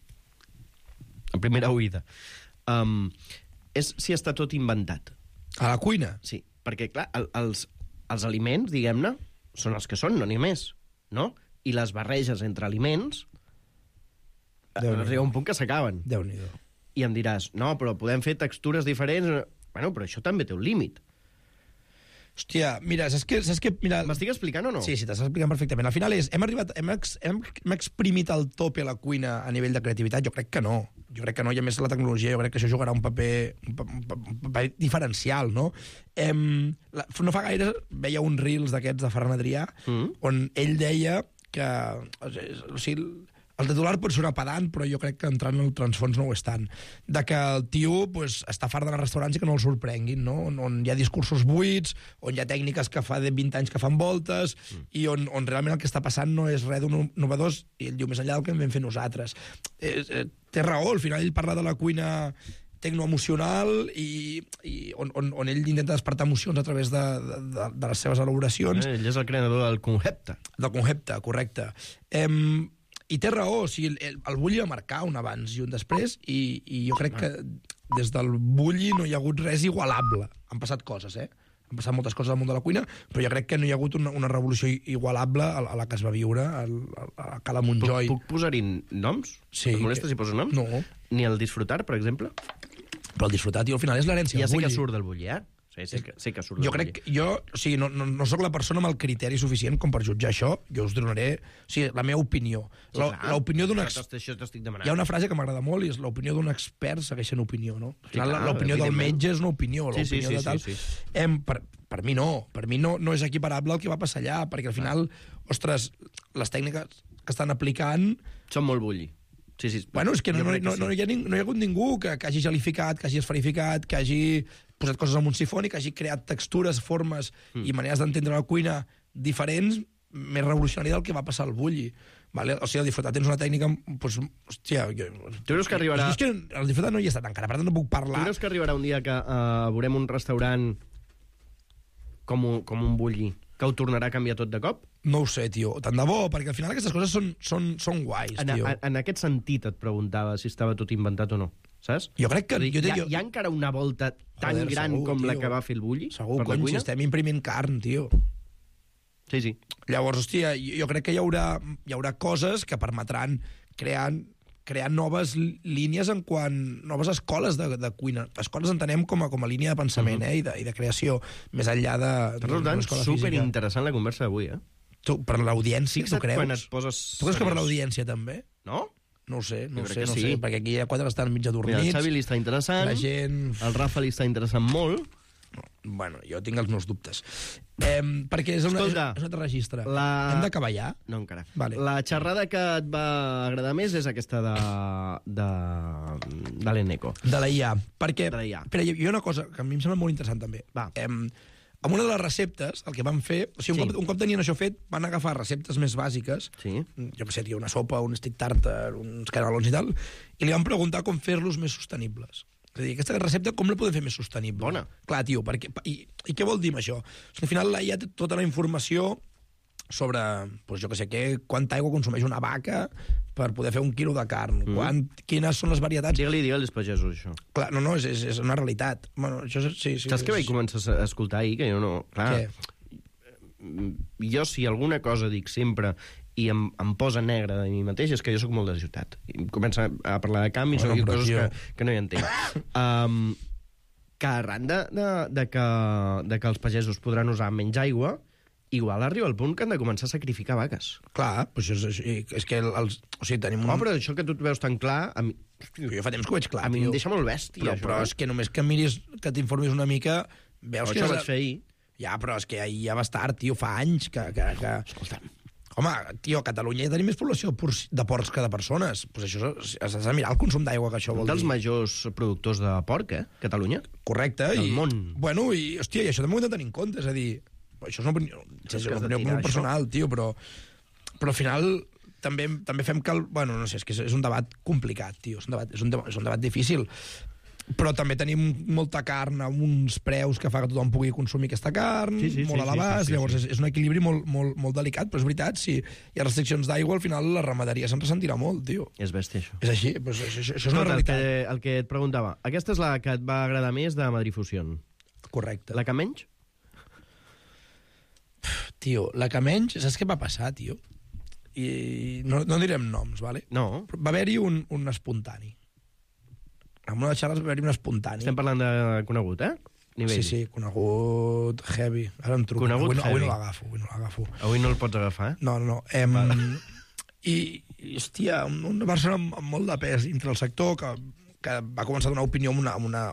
a primera oïda. Um, és si està tot inventat. A la cuina? Sí, perquè, clar, el, els, els aliments, diguem-ne, són els que són, no n'hi ha més, no? I les barreges entre aliments arriba un punt que s'acaben. Déu-n'hi-do. I em diràs, no, però podem fer textures diferents. Bueno, però això també té un límit. Hòstia, mira, saps que... Saps que mira... M'estic explicant o no? Sí, sí, t'estàs explicant perfectament. Al final és, hem arribat, hem, ex, hem, hem exprimit el tope a la cuina a nivell de creativitat? Jo crec que no. Jo crec que no, i a més la tecnologia, jo crec que això jugarà un paper, un paper, un paper diferencial, no? Em, la, no fa gaire veia un Reels d'aquests de Ferran Adrià, mm. on ell deia que... O sigui, el titular pot sonar pedant, però jo crec que entrant en el transfons no ho és tant. De que el tio pues, està fart d'anar a restaurants i que no el sorprenguin, no? On, on hi ha discursos buits, on hi ha tècniques que fa de vint anys que fan voltes, mm. i on, on realment el que està passant no és res d'un innovadors, i ell diu més enllà del que hem fet nosaltres. Eh, eh, té raó, al final ell parla de la cuina tecnoemocional i, i on, on, on ell intenta despertar emocions a través de, de, de les seves elaboracions. Eh, ell és el creador del concepte. Del concepte, correcte. Eh, I té raó, o sigui, el, el Bulli va marcar un abans i un després, i, i jo crec que des del Bulli no hi ha hagut res igualable. Han passat coses, eh? Han passat moltes coses al món de la cuina, però jo crec que no hi ha hagut una, una revolució igualable a, a la que es va viure a, a, a Cala Montjoi. Puc, puc posar-hi noms? Sí. Et molesta si poso noms? No. Ni el Disfrutar, per exemple? Però el Disfrutar, tio, al final és l'herència ja del Bulli. Ja sé que surt del Bulli, eh? Sí, sé que, sé que surt jo del crec, Bulli. jo, o sigui, no, no, no sóc la persona amb el criteri suficient com per jutjar això, jo us donaré, o sigui, la meva opinió. L'opinió d'un expert... Això t'estic demanant. Hi ha una frase que m'agrada molt i és l'opinió d'un expert segueix sent opinió, no? Al final, sí, l'opinió del metge és una opinió, sí, l'opinió sí, sí, de tal... Sí, sí. Em, per, per mi no, per mi no, no és equiparable el que va passar allà, perquè al final, ostres, les tècniques que estan aplicant... Són molt Bulli. Sí, sí. Bueno, és que no, no, no, no, hi ha, no hi ha hagut ningú que, que hagi gelificat, que hagi esferificat, que hagi posat coses en un sifoni, que hagi creat textures, formes mm. i maneres d'entendre la cuina diferents, més revolucionària del que va passar al Bulli. Vale? O sigui, el Disfrutat tens una tècnica... Pues, hòstia, jo, tu creus que arribarà... És que el Disfrutat no hi ha estat encara, per tant no puc parlar. Tu creus que arribarà un dia que uh, veurem un restaurant com un, com un Bulli que ho tornarà a canviar tot de cop? No ho sé, tio. Tant de bo, perquè al final aquestes coses són, són, són guais, en, tio. En, en aquest sentit et preguntava si estava tot inventat o no, saps? Jo crec que... Dir, jo hi, ha, jo... hi ha encara una volta tan Joder, gran segur, com tio. la que va fer el Bulli? Segur, cony, si estem imprimint carn, tio. Sí, sí. Llavors, hòstia, jo crec que hi haurà, hi haurà coses que permetran crear, crear noves línies en quant... noves escoles de, de cuina. Escoles entenem com a, com a línia de pensament, uh-huh. eh, i de, i de creació, més enllà de... Per tant, superinteressant la conversa d'avui, eh? Tu, per l'audiència, tu creus? Quan et poses... Tu creus que per l'audiència, també? No? No ho sé, no ho sé, no sí. sé, perquè aquí hi ha quatre que estan mig adormits. Mira, el Xavi li està interessant, la gent... el Rafa li està interessant molt. Bueno, jo tinc els meus dubtes. Eh, perquè és, una, Escolta, és un altre registre. La... Hem d'acabar ja? No, encara. Vale. La xerrada que et va agradar més és aquesta de, de, de l'Eneco. De la I A. Perquè, de la I A. però hi ha una cosa que a mi em sembla molt interessant, també. Va. Eh, amb una de les receptes, el que van fer... O sigui, un, sí. cop, un cop tenien això fet, van agafar receptes més bàsiques, sí. jo què sé, tio, una sopa, un stick tartar, uns canelons i tal, i li van preguntar com fer-los més sostenibles. És a dir, aquesta recepta com la podem fer més sostenible? Bona. Clar, tio, perquè, i, i què vol dir amb això? O sigui, al final la I A té tota la informació sobre, doncs jo què sé, què, quanta aigua consumeix una vaca per poder fer un quilo de carn, mm. Quant, quines són les varietats... Digue-li, digue-li als pagesos, això. Clar, no, no, és, és, és una realitat. Bueno, això és, sí, sí, Saps és... què vaig començar a escoltar ahir? Que jo no... Clar, què? Jo, si alguna cosa dic sempre i em, em posa negre de mi mateix, és que jo sóc molt de ciutat. I comença a parlar de canvis, bueno, i coses que, que no hi entenc. Um, que arran de, de, de, que, de que els pagesos podran usar menys aigua, igual arriba el punt que han de començar a sacrificar vaques. Clar, doncs és, és que els... O sigui, tenim un... Oh, però això que tu et veus tan clar... A mi... Jo fa temps que ho veig clar, A mi tio. em deixa molt bèstia, però, això. Però és que només que miris, que t'informis una mica, veus però que... Això és... vaig fer ahir. Ja, però és que ahir ja va estar, tio, fa anys que... que, que... Escolta'm. Home, tio, a Catalunya ja tenim més població de porcs que de persones. Pues això has de mirar el consum d'aigua que això vol dir. Un dels majors productors de porc, eh? Catalunya. Correcte. Del i, món. Bueno, i, hòstia, i això també ho hem de tenir en compte, és a dir, això és una opinió, és una opinió molt personal, això. Tio, però, però al final també, també fem que... El, bueno, no sé, és que és un debat complicat, tio, és un debat, és un, és un debat difícil. Però també tenim molta carn a uns preus que fa que tothom pugui consumir aquesta carn, sí, sí, molt sí, a l'abast, sí, sí, llavors sí. És, és un equilibri molt, molt, molt delicat, però és veritat, si hi ha restriccions d'aigua, al final la ramaderia se'n ressentirà molt, tio. És bèstia, això. És així, doncs això, això, això és una Escolta, realitat. El que, el que et preguntava, aquesta és la que et va agradar més de Madrid Fusion. Correcte. La que menys? Tio, la que menys, saps què va passar, tio? I no, no direm noms, vale? No. Va haver-hi un, un espontani. En una de les xarres va haver-hi un espontani. Estem parlant de conegut, eh? Nivell. Sí, sí, conegut heavy. Ara em truco. Conegut avui no, heavy. Avui no l'agafo, avui no l'agafo. Avui no el pots agafar, eh? No, no, no. Em... I, I, hòstia, una persona amb, amb molt de pes dintre del sector que, que va començar a donar opinió amb una, amb, una,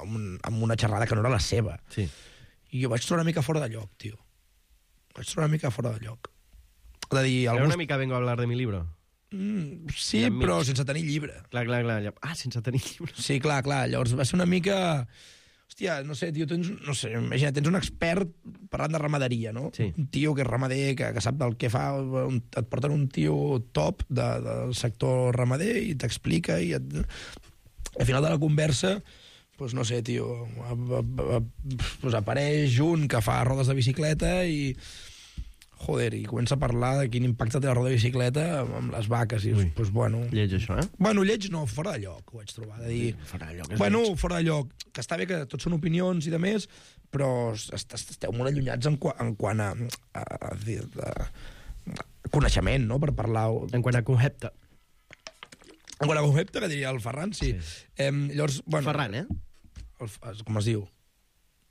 amb una xerrada que no era la seva. Sí. I jo vaig trobar una mica fora de lloc, tio. Vaig trobar una mica fora de lloc. És a dir, Era alguns... una mica vengo a hablar de mi libro? Mm, sí, però sense tenir llibre. Clar, clar, clar. Ah, sense tenir llibre. Sí, clar, clar. Llavors va ser una mica... Hòstia, no sé, tio, tens, no sé, imagina, tens un expert parlant de ramaderia, no? Sí. Un tio que és ramader, que, que sap del que fa, un, et porten un tio top de, del sector ramader i t'explica i et... al final de la conversa, pues no sé, tio, a, a, a, pues apareix un que fa rodes de bicicleta i... Joder, i comença a parlar de quin impacte té la roda de bicicleta amb les vaques. I, pues, bueno... Lleig, això, eh? Bueno, lleig no, fora de lloc, ho vaig trobar. De dir... Fora de lloc, és Bueno, lleig. fora de lloc. Que està bé que tots són opinions i de més, però est esteu molt allunyats en, qua en quant a, a, a, a, a coneixement, no?, per parlar... En quant a concepte. En quant a concepte, que diria el Ferran, sí. sí. Eh, llavors, bueno... Ferran, eh? El, com es diu?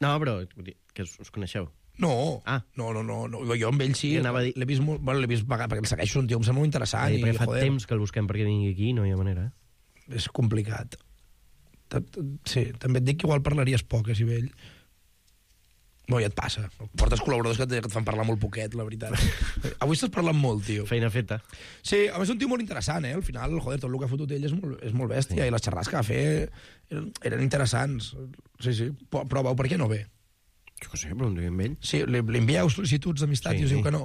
No, però que us, us coneixeu. No, ah. no, no, no, no, jo amb ell sí, dir... l'he vist molt, bueno, l'he vist pagar, perquè el segueixo, un tio, em sembla molt interessant. Sí, perquè i, fa joder, temps que el busquem perquè vingui aquí, no hi ha manera. És complicat. Sí, també et dic que igual parlaries poc, eh, si vell. No, ja et passa. Portes col·laboradors que, que et fan parlar molt poquet, la veritat. Avui estàs parlant molt, tio. Feina feta. Sí, a més és un tio molt interessant, eh? Al final, joder, tot el que ha fotut ell és molt, és molt bèstia, sí. I les xerrades que va fer eren, eren interessants. Sí, sí, prova-ho, per què no ve? Jo què sé, però un dia amb ell. Sí, li, li envieu sol·licituds d'amistat sí, i us diu que no.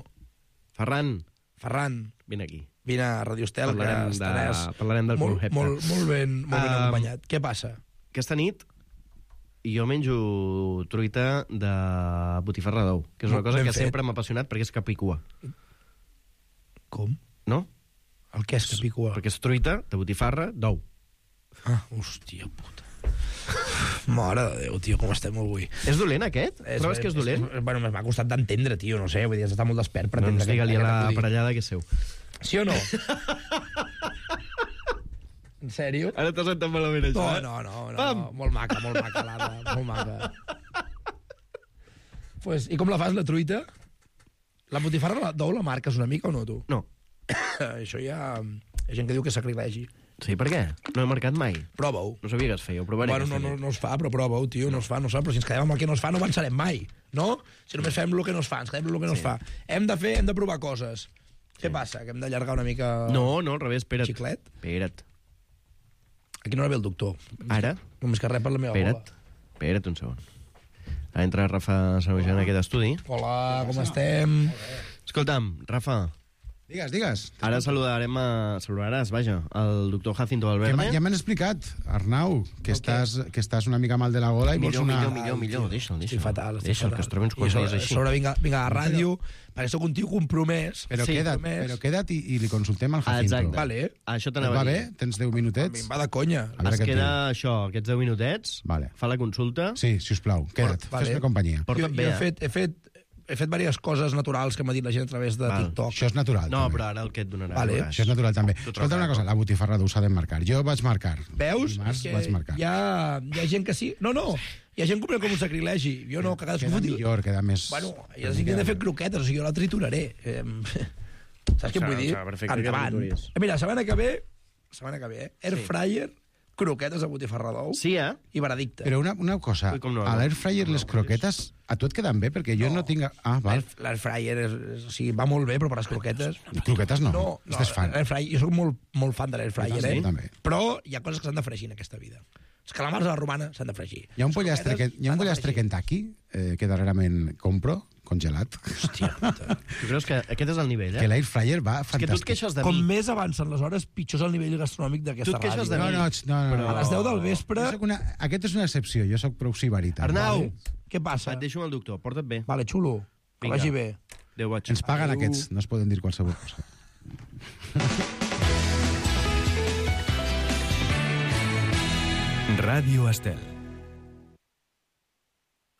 Ferran. Ferran. Vine aquí. Vine a Radio Estel, parlarem que estaràs de, parlarem del molt, concepte. molt, molt ben, molt ben uh, acompanyat. Què passa? Aquesta nit jo menjo truita de botifarra d'ou, que és una cosa ben que fet. Sempre m'ha apassionat perquè és capicua. Com? No? El què és capicua? Perquè és truita de botifarra d'ou. Ah, hòstia puta. Mare de Déu, tio, com estem avui. És dolent, aquest? És, Trobes que és dolent? És, bueno, m'ha costat d'entendre, tio, no sé, vull dir, has d'estar molt despert per entendre... Doncs digue-li a la parellada que és seu. Sí o no? En sèrio? Ara t'has sentat malament, això, no, eh? No, no, no, no. Molt maca, molt maca, l'Ada, molt maca. Pues, i com la fas, la truita? La botifarra d'ou la marques una mica o no, tu? No. Això ja... Hi ha gent que diu que és sacrilegi. Sí, per què? No he marcat mai. Prova-ho. No sabia que es feia, ho provaré. Bueno, no, no, no es fa, però prova-ho, tio, no. no es fa, no es fa, però si ens quedem amb el que no es fa no avançarem mai, no? Si només fem el que no es fa, ens quedem amb el que no sí. es fa. Hem de fer, hem de provar coses. Sí. Què passa, que hem d'allargar una mica... No, no, al revés, espera't. Xiclet? Espera't. A quina hora ve el doctor? Ara? Només que rep per la meva espera't. bola. Espera't un segon. Ha entrat Rafa Sanujan en aquest estudi. Hola, com estem? Escolta'm, Rafa... Digues, digues. Ara saludarem a... saludaràs, vaja, el doctor Jacinto Valverde. Que ja m'han explicat, Arnau, que, okay. estàs, que estàs una mica mal de la gola i millor, vols una... Millor, millor, millor, deixa'l, deixa'l. Estic fatal, estic deixa'l, fatal. que es trobi uns quants dies així. Sobre vinga, vinga a ràdio, perquè sóc un tio compromès. Però, sí, queda't, compromès. però queda't i, i li consultem al Jacinto. Exacte. Vale. Això t'anava a dir. Va bé? Tens deu minutets? A mi em va de conya. Es queda això, aquests deu minutets, vale. Fa la consulta... Sí, sisplau, queda't, vale. fes-me companyia. Jo, jo he fet... He fet He fet diverses coses naturals que m'ha dit la gent a través de Val. TikTok. Això és natural, No, també. però ara el que et donarà... Vale. Això és natural, també. Escolta una cosa, la botifarra d'ou s'ha de marcar. Jo vaig marcar. Veus? Dimarts vaig marcar. Hi ha, hi ha gent que sí... No, no, hi ha gent que ho pren com un sacrilegi. Jo no, que cadascú... Queda millor, queda més... Bueno, ja sí que he de fer croquetes, o sigui, jo la trituraré. Eh, saps què vull dir? Endavant. Mira, setmana que ve... Setmana que ve, eh? Air fryer... croquetes de botifarra d'ou sí, eh? i veredicte. Però una, una cosa, no, a l'air fryer no, les croquetes a tu et queden bé? Perquè jo no, no tinc... Ah, val. L'air fryer és, és, o sigui, va molt bé, però per les croquetes... Croquetes no, no, no estàs fan. Fryer, jo soc molt, molt fan de l'air fryer, sí? eh? També. Però hi ha coses que s'han de fregir en aquesta vida. Els calamars a la romana s'han de fregir. Hi ha un pollastre, que, hi ha un pollastre Kentucky eh, que darrerament compro, congelat. Hòstia puta. Tu creus que aquest és el nivell, eh? Que l'air fryer va fantàstic. És que tu et queixes de mi. Com més avancen les hores, pitjor és el nivell gastronòmic d'aquesta ràdio. Tu et queixes de mi. No, no, no, no, no. A les deu del vespre... Una... Aquest és una excepció, jo sóc prou sibarita. Arnau! Vale. Què passa? Et deixo amb el doctor, porta't bé. Vale, xulo. Que Vinga. vagi bé. Adéu, vaig. Ens paguen Adéu. aquests, no es poden dir qualsevol cosa. Ràdio Estel.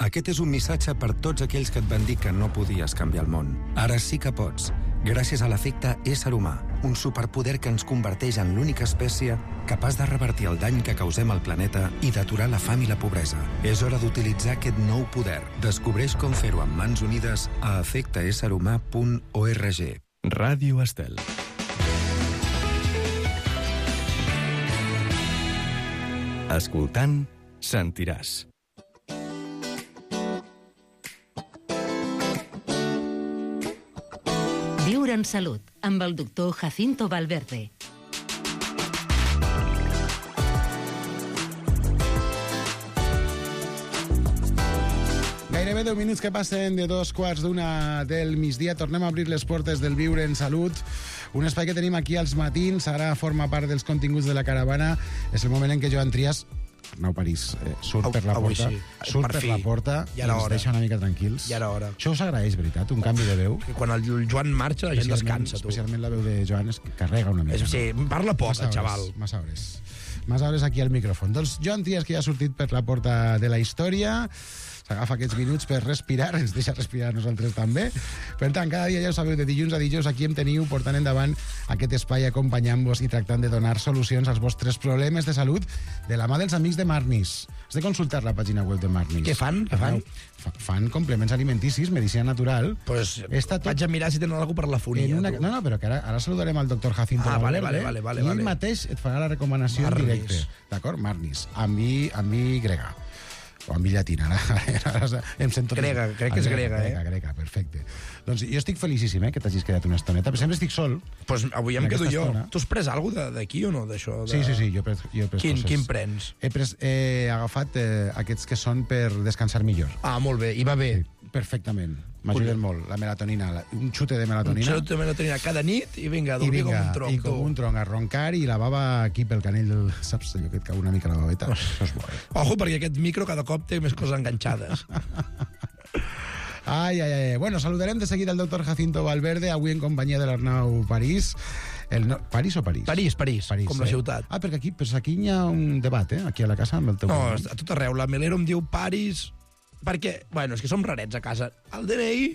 Aquest és un missatge per tots aquells que et van dir que no podies canviar el món. Ara sí que pots, gràcies a l'efecte ésser humà, un superpoder que ens converteix en l'única espècie capaç de revertir el dany que causem al planeta i d'aturar la fam i la pobresa. És hora d'utilitzar aquest nou poder. Descobreix com fer-ho amb mans unides a efecte ésser humà punt org. Ràdio Estel. Escoltant, sentiràs. Viure en salut. amb el doctor Jacinto Valverde. Gairebé deu minuts que passen de dos quarts d'una del migdia. Tornem a obrir les portes del Viure en Salut, un espai que tenim aquí als matins. Ara forma part dels continguts de la caravana. És el moment en què Joan Trias, Arnau París, eh, surt per la Avui porta, sí. surt Per per fi. la porta Ja i era ens hora. deixa una mica tranquils. Ja era hora. Això us agraeix, veritat? Un canvi de veu? Que quan el Joan marxa la gent Especialment- descansa, tu. Especialment la veu de Joan es carrega una mica. És- sí, parla poc, Massa el hores, xaval. Massa hores. Massa hores aquí al micròfon. Doncs Joan Trias, que ja ha sortit per la porta de la història, s'agafa aquests minuts per respirar, ens deixa respirar nosaltres també. Per tant, cada dia, ja ho sabeu, de dilluns a dijous aquí em teniu portant endavant aquest espai acompanyant-vos i tractant de donar solucions als vostres problemes de salut de la mà dels amics de Marnis. Has de consultar la pàgina web de Marnis. Què fan? Què fan? Fa, fan complements alimenticis, medicina natural. Pues Està tot... vaig a mirar si tenen alguna per la fonia. En una... tu. No, no, però que ara, ara saludarem al doctor Jacinto Ah, vale, Valverde, vale, vale, i ell vale. mateix et farà la recomanació en Marnis. directe. D'acord? Marnis. Amb i, amb i grega. O amb i llatina. Ara, ara em sento... Grega, crec que és grega, eh? Grega, grega, perfecte. Doncs jo estic felicíssim, eh, que t'hagis quedat una estoneta, però sempre estic sol. Pues avui em en quedo aquesta jo. estona. Tu has pres alguna cosa d'aquí o no, d'això? De... Sí, sí, sí, jo he pres, jo he pres Quin, coses. quin prens? He, pres, he agafat eh, aquests que són per descansar millor. Ah, molt bé, i va bé. Sí, perfectament. M'ajuden molt. La melatonina, la, un xute de Un melatonina. xerot de melatonina cada nit i vinga, a I dormir vinga, com un tronc. i com tu. un tronc, a roncar i la bava aquí pel canell del... Saps allò que et cau una mica la babeta? Això és bo, eh? Ojo, perquè aquest micro cada cop té més coses enganxades. Ai, ai, ai. Bueno, saludarem de seguida el doctor Jacinto Valverde, avui en companyia de l'Arnau París. El no... París o París? París, París, París com la eh? ciutat. Ah, perquè aquí, però aquí hi ha un debat, eh? Aquí a la casa amb el teu... No, cognom. a tot arreu. La Melero em diu París... Perquè, bueno, és que som rarets a casa. El D N I,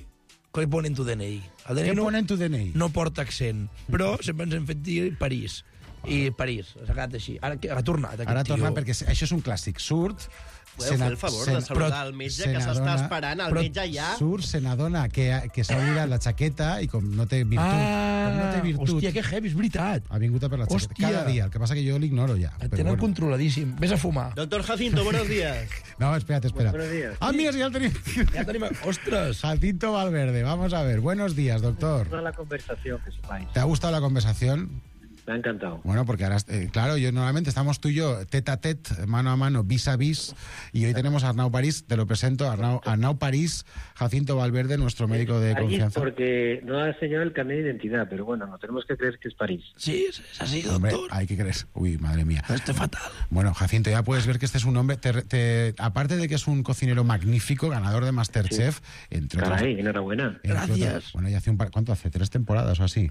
què ponen tu D N I? El D N I Què no, ponen tu D N I? no porta accent, però sempre ens hem fet dir París. I París, s'ha quedat així. Ara que- ha tornat aquest Ara tio. torna, perquè això és un clàssic. Surt... Podeu fer el favor de saludar el metge que s'està esperant, el metge ja... Surt, se n'adona que, que s'ha oblidat la jaqueta i com no té virtut... Ah, com no té virtut hòstia, que heavy, és veritat. ha vingut a per la jaqueta. Hòstia. Cada dia. El que passa que jo l'ignoro ja. Et però tenen bueno. controladíssim. Vés a fumar. Doctor Jacinto, buenos días. No, espérate, espera. Buenos días. Ah, mira, si ya el tenim. Ja tenim... Ostres! Jacinto Valverde, vamos a ver. Buenos días, doctor. Toda la conversación que sepáis. ¿Te ha gustado la conversación? Me ha encantado. Bueno, porque ahora, eh, claro, yo normalmente estamos tú y yo tete a tete, mano a mano, vis a vis, y hoy tenemos a Arnau París, te lo presento, Arnau, Arnau París, Jacinto Valverde, nuestro médico de París confianza. porque no ha enseñado el carnet de identidad, pero bueno, no tenemos que creer que es París. Sí, es así, Hombre, doctor. hay que creer. Uy, madre mía. Esto es fatal. Bueno, Jacinto, ya puedes ver que este es un hombre, te- te- aparte de que es un cocinero magnífico, ganador de MasterChef, entre otras... Caray, enhorabuena. entre otras- bueno, ya hace un par, ¿cuánto hace? ¿Tres temporadas o así?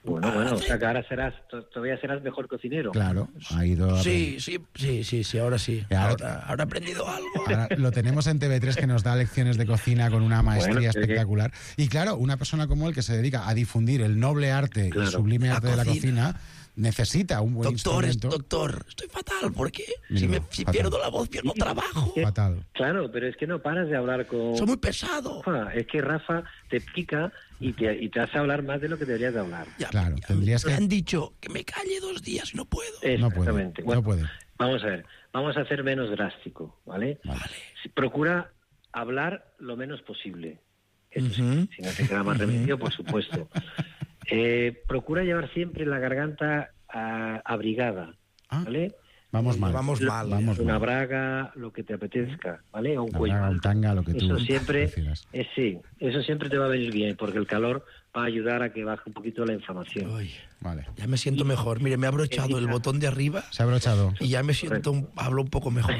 Bueno, bueno, o sea que ahora serás, to- todavía serás mejor cocinero. Claro, ha ido... a- Sí, sí, sí, sí, sí, ahora sí. Y ahora- Ahora, ahora he aprendido algo. Ahora lo tenemos en T V tres que nos da lecciones de cocina con una maestría Bueno, es que- espectacular. Y claro, una persona como él que se dedica a difundir el noble arte Claro. y sublime La arte de la cocina. cocina, necesita un buen Doctor, es- instrumento. doctor, estoy fatal, ¿por qué? Mira, Si, me, si fatal. pierdo la voz, pierdo trabajo. Fatal. Claro, pero es que no paras de hablar con... Soy muy pesado. Rafa. Es que Rafa te pica y te, y te hace hablar más de lo que deberías de hablar. Ya, Claro, tendrías me que... han dicho que me calle dos días y no puedo. No puede, Exactamente. no Bueno, puede. Vamos a ver, vamos a ser menos drástico, ¿vale? Si- Procura hablar lo menos posible. Eso sí, Ujú. si no te queda más remedio, por supuesto. Eh, procura llevar siempre la garganta ah, abrigada, ¿vale? Vamos mal. Vamos mal. Vamos Una mal. braga, lo que te apetezca, ¿vale? O un Una cuello. braga, un tanga, lo que tú Eso siempre, prefieras. eh, sí, eso siempre te va a venir bien, porque el calor va a ayudar a que baje un poquito la inflamación. Uy, Vale. ya me siento mejor. Mire, me ha abrochado el botón de arriba Se ha abrochado. y ya me siento, un- hablo un poco mejor.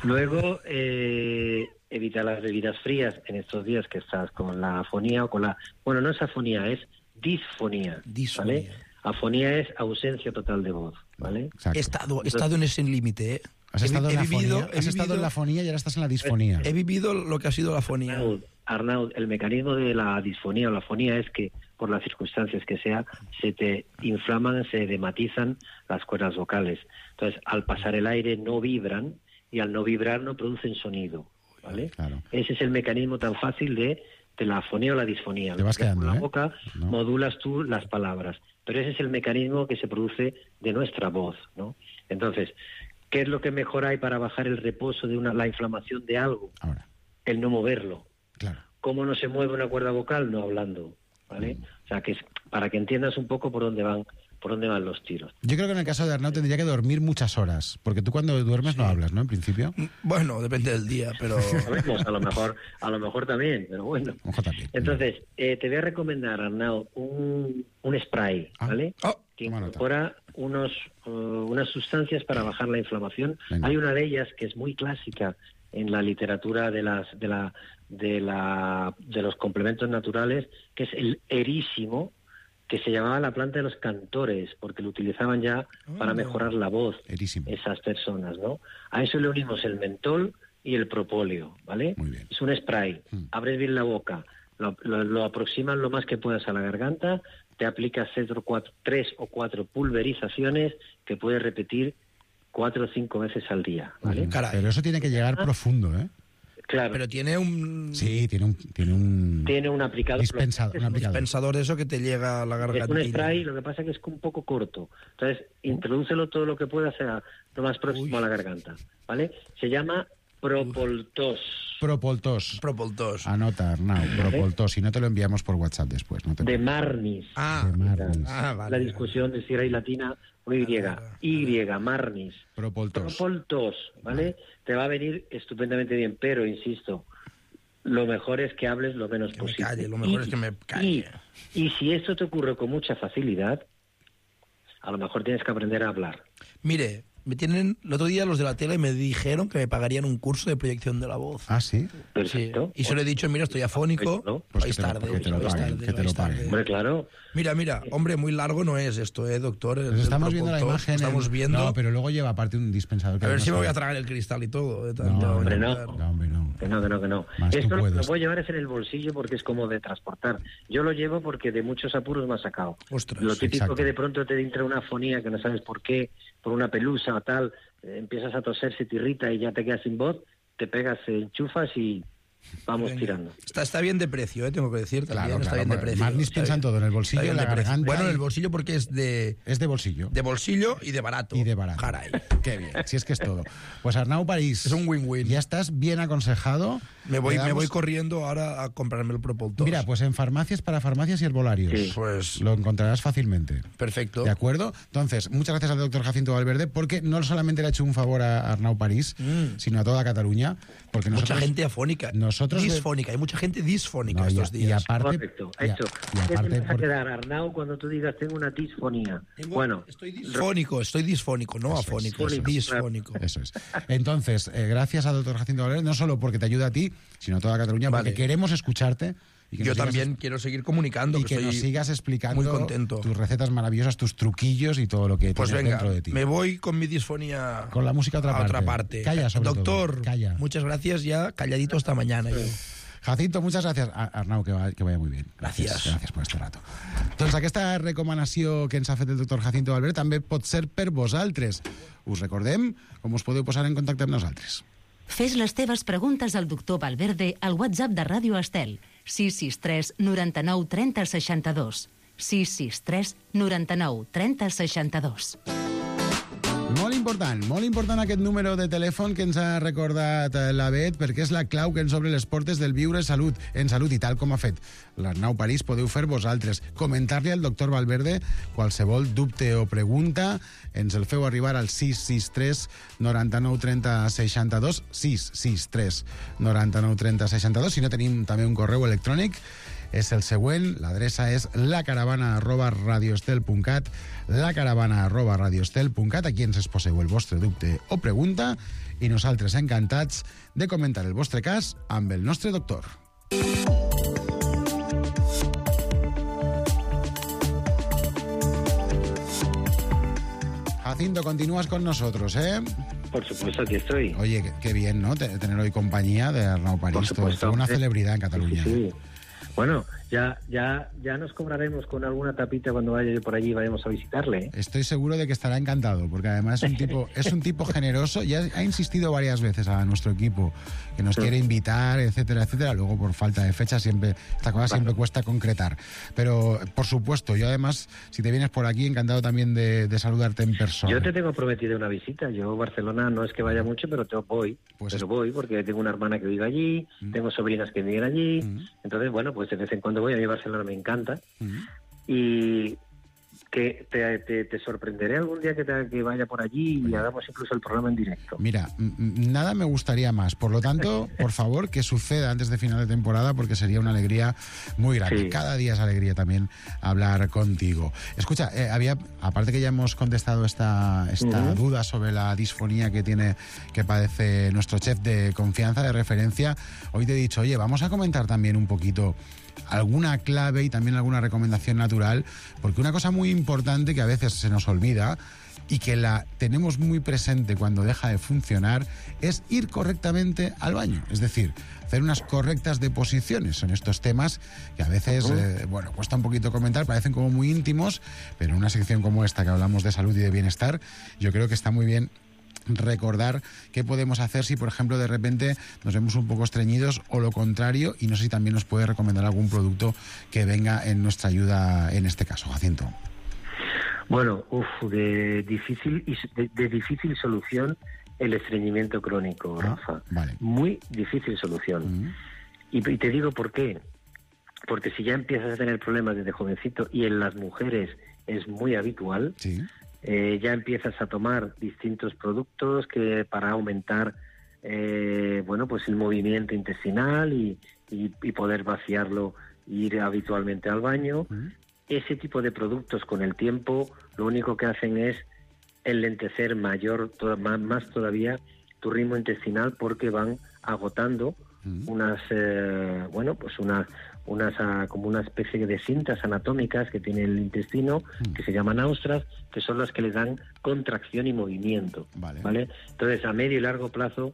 Luego, eh, evita las bebidas frías en estos días que estás con la afonía o con la... Bueno, no es afonía, es disfonía. Disfonía. ¿vale? Afonía es ausencia total de voz, ¿vale? Exacto. He estado, he estado en ese límite, ¿eh? Has, He estado, vi- en la he vivido, fonía, he has estado vivido- en la fonía y ahora estás en la disfonía. He vivido lo que ha sido la fonía. Arnaud, Arnaud, el mecanismo de la disfonía o la fonía es que, por las circunstancias que sea, se te inflaman, se dematizan las cuerdas vocales. Entonces, al pasar el aire no vibran y al no vibrar no producen sonido, ¿vale? Claro. Ese es el mecanismo tan fácil de, de la fonía o la disfonía. Te vas Con quedando, la ¿eh? boca No. modulas tú las palabras, pero ese es el mecanismo que se produce de nuestra voz, ¿no? Entonces, ¿qué es lo que mejor hay para bajar el reposo de una, la inflamación de algo? Ahora, El no moverlo. claro. ¿Cómo no se mueve una cuerda vocal? No hablando. ¿vale? O sea, que es para que entiendas un poco por dónde van por dónde van los tiros. Yo creo que en el caso de Arnau tendría que dormir muchas horas, porque tú cuando duermes no hablas, ¿no? En principio. Bueno, depende del día, pero... Sabemos, a lo mejor, a lo mejor también, pero bueno. Ojo también. Entonces, eh, te voy a recomendar, Arnau, un, un spray, ¿vale? Ah. Oh, que incorpora unos, uh, unas sustancias para bajar la inflamación. Venga. Hay una de ellas que es muy clásica en la literatura de las de la de la de los complementos naturales, que es el erísimo, que se llamaba la planta de los cantores, porque lo utilizaban ya oh, para mejorar la voz, erísimo, esas personas, ¿no? A eso le unimos el mentol y el propóleo, ¿vale? Muy bien. Es un spray, mm. abres bien la boca, lo, lo, lo aproximas lo más que puedas a la garganta, te aplicas cuatro, tres o cuatro pulverizaciones que puedes repetir cuatro o cinco veces al día, ¿vale? Caray. Pero eso tiene que llegar ah. profundo, ¿eh? Claro. Pero tiene un... Sí, tiene un... Tiene un, tiene un aplicador. Dispensador, un aplicador. dispensador de eso que te llega a la garganta. Es un spray, lo que pasa es que es un poco corto. Entonces, introdúcelo todo lo que puedas a lo más próximo Uy. a la garganta, ¿vale? Se llama Propoltos. Propoltos. Propoltos. Anota, Arnau, Propoltos. Si no te lo enviamos por WhatsApp después. No te de Marnis. Ah, de Marnis. Ah, vale. La discusión de si era y latina o Y. Y, Marnis. Propoltos. Propoltos, ¿vale? Te va a venir estupendamente bien, pero, insisto, lo mejor es que hables lo menos que posible. Me calle, lo mejor y, es que me calle. Y, y si esto te ocurre con mucha facilidad, a lo mejor tienes que aprender a hablar. Mire, me tienen el otro día los de la tele me dijeron que me pagarían un curso de proyección de la voz. Ah, sí. Perfecto. Sí. Y se lo he dicho, mira, estoy afónico. ¿No? Pues vais tarde, que te lo paguen, que te lo paguen. Hombre, claro. Mira, mira, hombre, muy largo no es esto, ¿eh, doctor? Pues estamos viendo la imagen. Estamos en... viendo. No, pero luego lleva aparte un dispensador. Que a ver no si me voy sabe. a tragar el cristal y todo. De no, no, hombre, no. no, hombre, no. Que no, que no, que no. Más Esto lo, lo puedes. puedo llevar es en el bolsillo porque es como de transportar. Yo lo llevo porque de muchos apuros me ha sacado. Ostras, lo típico exacto. que de pronto te entra una afonía que no sabes por qué, por una pelusa o tal, eh, empiezas a toser, se te irrita y ya te quedas sin voz, te pegas, eh, enchufas y vamos Venga. tirando. Está, está bien de precio, ¿eh? Tengo que decir también. Claro, está claro, bien de precio. Marnis piensa en todo, en el bolsillo, en la garganta. Bueno, en el y... bolsillo porque es de... Es de bolsillo. De bolsillo y de barato. Y de barato. Caray. Qué bien, si es que es todo. Pues Arnau París. Es un win-win. Ya estás bien aconsejado. Me voy, damos... me voy corriendo ahora a comprarme el Propoltos. Mira, pues en farmacias, para farmacias y herbolarios. Sí. Pues... Lo encontrarás fácilmente. Perfecto. ¿De acuerdo? Entonces, muchas gracias al doctor Jacinto Valverde, porque no solamente le ha hecho un favor a Arnau París, mm. sino a toda Cataluña. Porque nosotros, mucha gente afónica. Nosotros disfónica. Hay mucha gente disfónica no, estos y, días. Y aparte, Correcto, hecho. Y, y aparte, ¿Qué te vas a por... quedar, Arnau, cuando tú digas tengo una disfonía? Tengo, bueno, estoy disfónico, estoy disfónico, no eso afónico, es, es disfónico. Eso es. Entonces, eh, gracias al doctor Jacinto Valverde, no solo porque te ayuda a ti, sino a toda Cataluña, vale. porque queremos escucharte. Y que Yo sigas, también quiero seguir comunicando. Y que, que nos sigas explicando muy contento. tus recetas maravillosas, tus truquillos y todo lo que pues tienes venga, dentro de ti. Me voy con mi disfonía con la música a otra a parte. Otra parte. Calla, sobre Doctor, todo. Calla. muchas gracias, ya calladito hasta mañana. Yo. Jacinto, muchas gràcies. Arnau, que, va, que vaya muy bien. Gràcies. Gràcies, gràcies per este rato. Doncs aquesta recomanació que ens ha fet el doctor Jacinto Valverde també pot ser per vosaltres. Us recordem com us podeu posar en contacte amb nosaltres. Fes les teves preguntes al doctor Valverde al WhatsApp de Ràdio Estel sis sis tres noranta-nou trenta seixanta-dos sis sis tres noranta-nou trenta seixanta-dos. Molt important, molt important aquest número de telèfon que ens ha recordat la Bet, perquè és la clau que ens obre les portes del viure salut, en salut, i tal com ha fet l'Arnau París, podeu fer vosaltres. Comentar-li al doctor Valverde qualsevol dubte o pregunta, ens el feu arribar al sis sis tres noranta-nou trenta seixanta-dos, sis sis tres noranta-nou trenta seixanta-dos. Si no, tenim també un correu electrònic, és el següent, l'adreça és lacaravana arroba radioestel punt cat, lacaravana arroba radioestel punt cat. Aquí ens exposeu el vostre dubte o pregunta i nosaltres encantats de comentar el vostre cas amb el nostre doctor. Jacinto, continúas con nosotros, ¿eh? Por supuesto, aquí estoy. Oye, qué, qué bien, ¿no? Tener hoy compañía de Arnau París. Por supuesto. Una celebridad en Cataluña. Sí, sí. Bueno, ya, ya, ya nos cobraremos con alguna tapita cuando vaya yo por allí y vayamos a visitarle, ¿eh? Estoy seguro de que estará encantado, porque además es un tipo, es un tipo generoso. Ya ha insistido varias veces a nuestro equipo que nos sí. quiere invitar, etcétera, etcétera. Luego, por falta de fecha, siempre esta cosa siempre cuesta concretar. Pero, por supuesto, yo además, si te vienes por aquí, encantado también de, de saludarte en persona. Yo te tengo prometido una visita. Yo, Barcelona, no es que vaya mucho, pero te voy. Pues pero es... voy, porque tengo una hermana que vive allí, mm. tengo sobrinas que viven allí. Mm. Entonces, bueno, pues pues de vez en cuando voy, a mí Barcelona me encanta, Uh-huh. y que te, te, te sorprenderé algún día que, te, que vaya por allí y hagamos incluso el programa en directo. Mira, m- m- nada me gustaría más. Por lo tanto, por favor, que suceda antes de final de temporada, porque sería una alegría muy grande. Sí. Cada día es alegría también hablar contigo. Escucha, eh, había, aparte que ya hemos contestado esta, esta Ujú. duda sobre la disfonía que tiene, que padece nuestro chef de confianza, de referencia, hoy te he dicho, oye, vamos a comentar también un poquito alguna clave y también alguna recomendación natural, porque una cosa muy importante que a veces se nos olvida y que la tenemos muy presente cuando deja de funcionar es ir correctamente al baño, es decir, hacer unas correctas deposiciones. Son estos temas que a veces, eh, bueno, cuesta un poquito comentar, parecen como muy íntimos, pero en una sección como esta que hablamos de salud y de bienestar, yo creo que está muy bien recordar qué podemos hacer si, por ejemplo, de repente nos vemos un poco estreñidos o lo contrario, y no sé si también nos puede recomendar algún producto que venga en nuestra ayuda en este caso, Jacinto. Bueno, uf, de difícil y de, de difícil solución el estreñimiento crónico, Ah, Rafa. vale. Muy difícil solución. Mm. Y, y te digo por qué. Porque si ya empiezas a tener problemas desde jovencito, y en las mujeres es muy habitual, Sí. eh, ya empiezas a tomar distintos productos que para aumentar eh, bueno, pues el movimiento intestinal y, y, y poder vaciarlo, ir habitualmente al baño. Ese tipo de productos con el tiempo lo único que hacen es enlentecer mayor, to- más, más todavía tu ritmo intestinal, porque van agotando unas, eh, bueno, pues unas, unas ah, como una especie de cintas anatómicas que tiene el intestino, que se llaman austras, que son las que le dan contracción y movimiento, ¿vale? Entonces, a medio y largo plazo,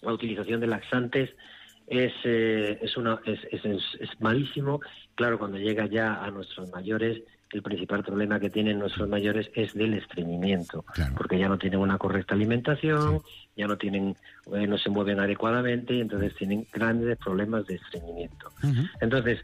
la utilización de laxantes es eh, es una es, es, es, es malísimo. Claro, cuando llega ya a nuestros mayores, el principal problema que tienen nuestros mayores es del estreñimiento, porque ya no tienen una correcta alimentación, ya no tienen eh, no se mueven adecuadamente, y entonces tienen grandes problemas de estreñimiento. Entonces,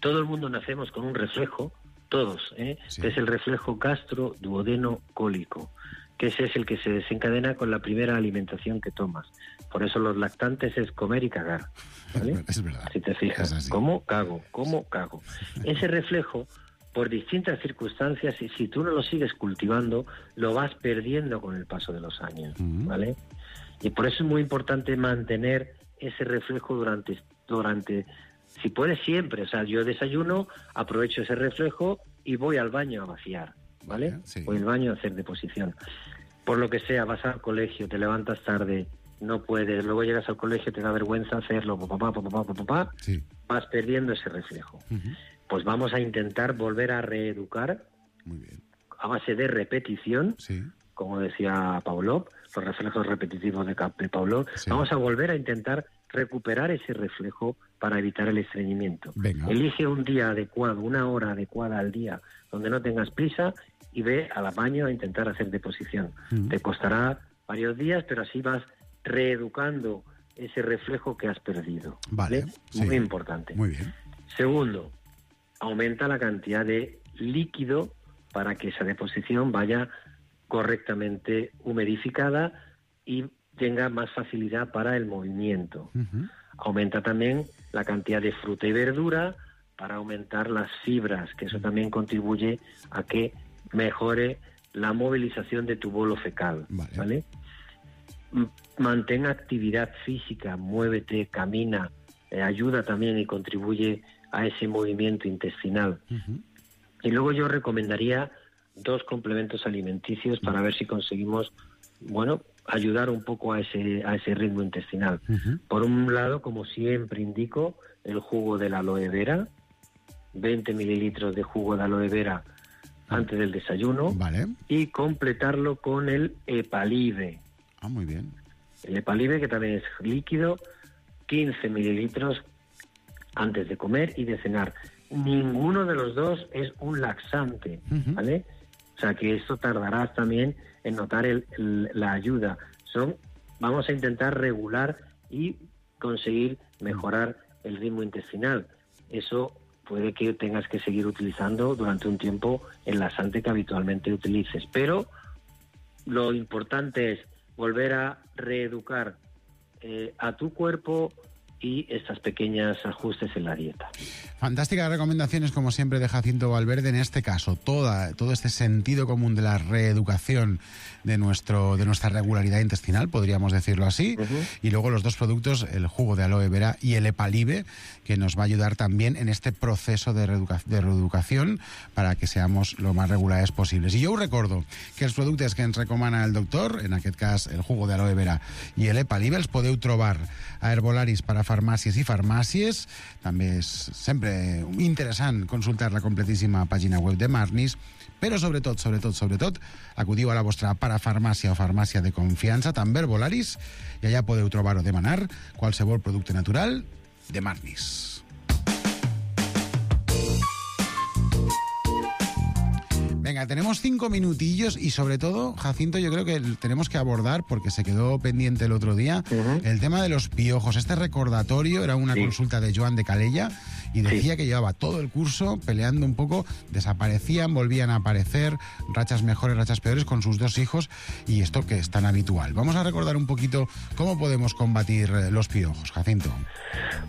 todo el mundo nacemos con un reflejo, todos, ¿eh? que es el reflejo gastro-duodeno-cólico, que ese es el que se desencadena con la primera alimentación que tomas. Por eso los lactantes es comer y cagar, ¿vale? Es verdad. Si te fijas, ¿cómo cago? ¿Cómo cago? Ese reflejo, por distintas circunstancias, y si tú no lo sigues cultivando, lo vas perdiendo con el paso de los años, ¿vale? Y por eso es muy importante mantener ese reflejo durante, durante si puedes siempre. O sea, yo desayuno, aprovecho ese reflejo y voy al baño a vaciar, ¿vale? Voy al baño a hacer deposición. Por lo que sea, vas al colegio, te levantas tarde, no puedes, luego llegas al colegio, te da vergüenza hacerlo, papá, papá, papá, papá, Sí. vas perdiendo ese reflejo. Pues vamos a intentar volver a reeducar a base de repetición, como decía Pavlov, los reflejos repetitivos de, Cap- de Pavlov. Vamos a volver a intentar recuperar ese reflejo para evitar el estreñimiento. Venga. Elige un día adecuado, una hora adecuada al día, donde no tengas prisa, y ve al baño a intentar hacer deposición. Mm. Te costará varios días, pero así vas reeducando ese reflejo que has perdido. Vale, sí. Muy importante. Muy bien. Segundo, aumenta la cantidad de líquido para que esa deposición vaya correctamente humidificada y tenga más facilidad para el movimiento. Aumenta también la cantidad de fruta y verdura para aumentar las fibras, que eso también contribuye a que mejore la movilización de tu bolo fecal, ¿vale? M- Mantén actividad física, muévete, camina, eh, ayuda también y contribuye a ese movimiento intestinal. Y luego yo recomendaría dos complementos alimenticios para ver si conseguimos, bueno, ayudar un poco a ese a ese ritmo intestinal. Por un lado, como siempre indico, el jugo de la aloe vera, veinte mililitros de jugo de aloe vera antes del desayuno, y completarlo con el Epalive. Ah, muy bien. El Epalive, que también es líquido, quince mililitros antes de comer y de cenar. Ninguno de los dos es un laxante, ¿vale? O sea, que esto tardarás también en notar el, el- la ayuda. Son, vamos a intentar regular y conseguir mejorar el ritmo intestinal. Eso puede que tengas que seguir utilizando durante un tiempo el laxante que habitualmente utilices. Pero lo importante es volver a reeducar eh, a tu cuerpo y estos pequeños ajustes en la dieta. Fantásticas recomendaciones, como siempre, de Jacinto Valverde. En este caso, toda, todo este sentido común de la reeducación de, nuestro, de nuestra regularidad intestinal, podríamos decirlo así. Uh-huh. Y luego los dos productos, el jugo de aloe vera y el Epalive, que nos va a ayudar también en este proceso de, reeduca de reeducación para que seamos lo más regulares posibles. I jo us recordo que els productes que ens recomana el doctor, en aquest cas el jugo de aloe vera i el Epalive, els podeu trobar a herbolaris per a farmàcies i farmàcies. També és sempre interessant consultar la completíssima pàgina web de Marnis, però sobretot, sobretot, sobretot, acudiu a la vostra parafarmàcia o farmàcia de confiança, també herbolaris, i allà podeu trobar o demanar qualsevol producte natural de Marnis. Venga, tenemos cinco minutillos y sobre todo, Jacinto, yo creo que tenemos que abordar, porque se quedó pendiente el otro día, uh-huh. el tema de los piojos. Este recordatorio era una sí. consulta de Joan de Calella y decía sí. que llevaba todo el curso peleando un poco, desaparecían, volvían a aparecer, rachas mejores, rachas peores con sus dos hijos, y esto que es tan habitual. Vamos a recordar un poquito cómo podemos combatir los piojos, Jacinto.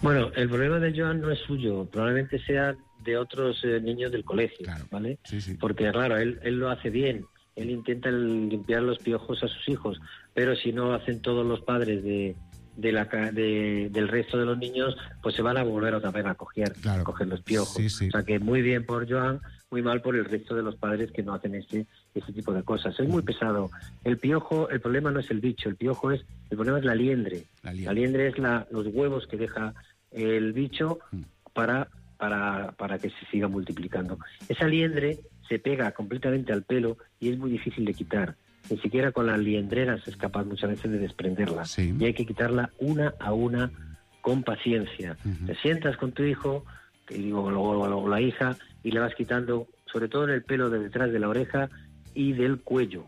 Bueno, el problema de Joan no es suyo, probablemente sea de otros eh, niños del colegio, claro. ¿vale? Sí, sí. Porque, claro, él, él lo hace bien, él intenta limpiar los piojos a sus hijos, pero si no hacen todos los padres de, de la, de, del resto de los niños, pues se van a volver otra vez a coger, claro. a coger los piojos. Sí, sí. O sea que muy bien por Joan, muy mal por el resto de los padres que no hacen este, este tipo de cosas. Es muy pesado. El piojo, el problema no es el bicho, el piojo es, el problema es la liendre. La liendre, la liendre es la, los huevos que deja el bicho mm. para... Para, para que se siga multiplicando. Esa liendre se pega completamente al pelo y es muy difícil de quitar. Ni siquiera con las liendreras es capaz muchas veces de desprenderla. Sí. Y hay que quitarla una a una con paciencia. Uh-huh. Te sientas con tu hijo, te digo, o, o la hija, y le vas quitando, sobre todo en el pelo de detrás de la oreja y del cuello.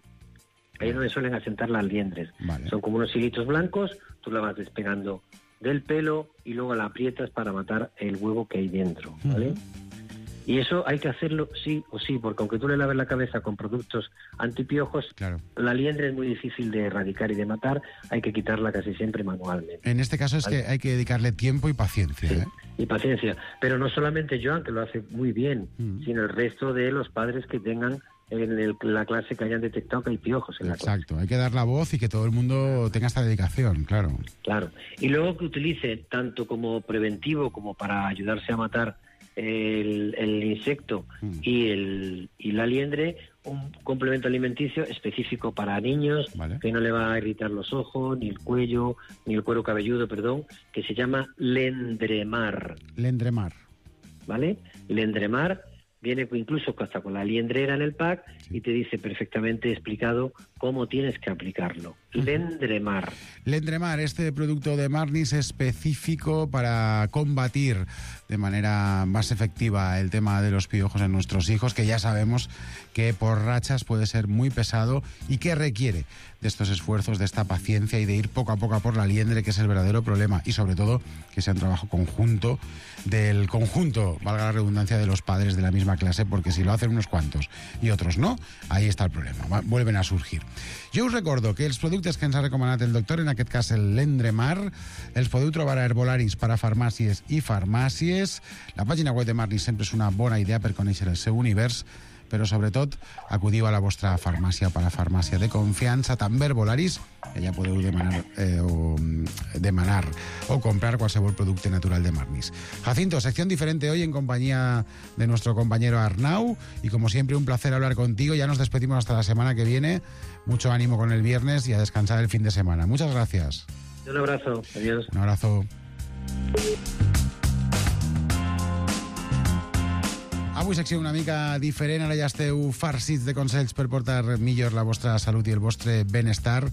Ahí es donde suelen asentar las liendres. Vale. Son como unos hilitos blancos, tú la vas despegando del pelo y luego la aprietas para matar el huevo que hay dentro, ¿vale? Uh-huh. Y eso hay que hacerlo sí o sí, porque aunque tú le laves la cabeza con productos antipiojos, claro. la liendre es muy difícil de erradicar y de matar, hay que quitarla casi siempre manualmente. En este caso es ¿vale? que hay que dedicarle tiempo y paciencia. Sí, ¿eh? y paciencia. Pero no solamente Joan, que lo hace muy bien, uh-huh. sino el resto de los padres que tengan en el, la clase que hayan detectado que hay piojos en Exacto, la clase. Exacto, hay que dar la voz y que todo el mundo tenga esta dedicación, claro. Claro, y luego que utilice tanto como preventivo como para ayudarse a matar el, el insecto mm. y, el, y la liendre, un complemento alimenticio específico para niños, vale. que no le va a irritar los ojos, ni el cuello, ni el cuero cabelludo, perdón, que se llama Lendremar. Lendremar. ¿Vale? Lendremar. Viene incluso hasta con la liendrera en el pack sí. y te dice perfectamente explicado cómo tienes que aplicarlo. Uh-huh. Lendremar. Lendremar, este producto de Marnis específico para combatir de manera más efectiva el tema de los piojos en nuestros hijos, que ya sabemos que por rachas puede ser muy pesado y que requiere de estos esfuerzos, de esta paciencia y de ir poco a poco a por la liendre, que es el verdadero problema, y sobre todo que sea un trabajo conjunto del conjunto, valga la redundancia, de los padres de la misma clase, porque si lo hacen unos cuantos i otros no, ahí està el problema, va, vuelven a surgir. Jo us recordo que els productes que ens ha recomanat el doctor, en aquest cas el Lendremar, els podeu trobar a herbolaris, parafarmàcies i farmàcies. La pàgina web de Marnis sempre és una bona idea per conèixer el seu univers, però sobretot acudiu a la vostra farmàcia o parafarmàcia de confiança, també herbolaris, que ja podeu demanar, eh, o, demanar o comprar qualsevol producte natural de Marnis. Jacinto, sección diferente hoy en compañía de nuestro compañero Arnau, y como siempre un placer hablar contigo. Ya nos despedimos hasta la semana que viene. Mucho ánimo con el viernes y a descansar el fin de semana. Muchas gracias. Un abrazo, adiós. Un abrazo. Avui secció una mica diferent, ara ja esteu farcits de consells per portar millor la vostra salut i el vostre benestar.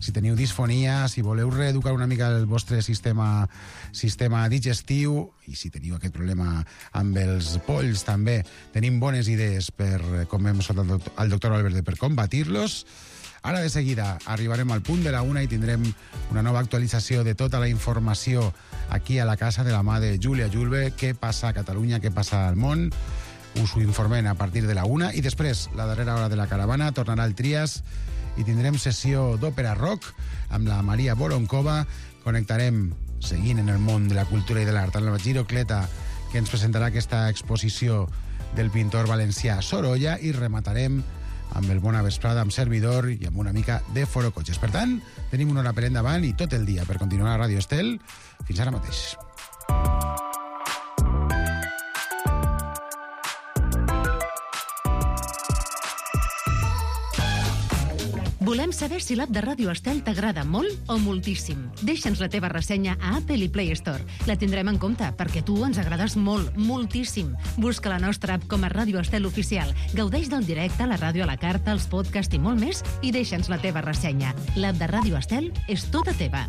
Si teniu disfonia, si voleu reeducar una mica el vostre sistema, sistema digestiu, i si teniu aquest problema amb els polls també, tenim bones idees per, com hem escoltat al doctor Valverde, per combatir-los. Ara de seguida arribarem al punt de la una i tindrem una nova actualització de tota la informació aquí a la casa de la mà de Júlia Julve. Què passa a Catalunya, què passa al món? Us ho informem a partir de la una, i després, la darrera hora de la caravana, tornarà el Trias i tindrem sessió d'òpera rock amb la Maria Voronkova. Connectarem seguint en el món de la cultura i de l'art, amb la Giro Cleta, que ens presentarà aquesta exposició del pintor valencià Sorolla, i rematarem amb el Bona Vesprada, amb servidor i amb una mica de forocotxes. Per tant, tenim una hora per endavant i tot el dia per continuar a Ràdio Estel. Fins ara mateix. Volem saber si l'app de Ràdio Estel t'agrada molt o moltíssim. Deixa'ns la teva ressenya a Apple i Play Store. La tindrem en compte, perquè tu ens agrades molt, moltíssim. Busca la nostra app com a Ràdio Estel Oficial. Gaudeix del directe, la ràdio a la carta, els podcasts i molt més, i deixa'ns la teva ressenya. L'app de Ràdio Estel és tota teva.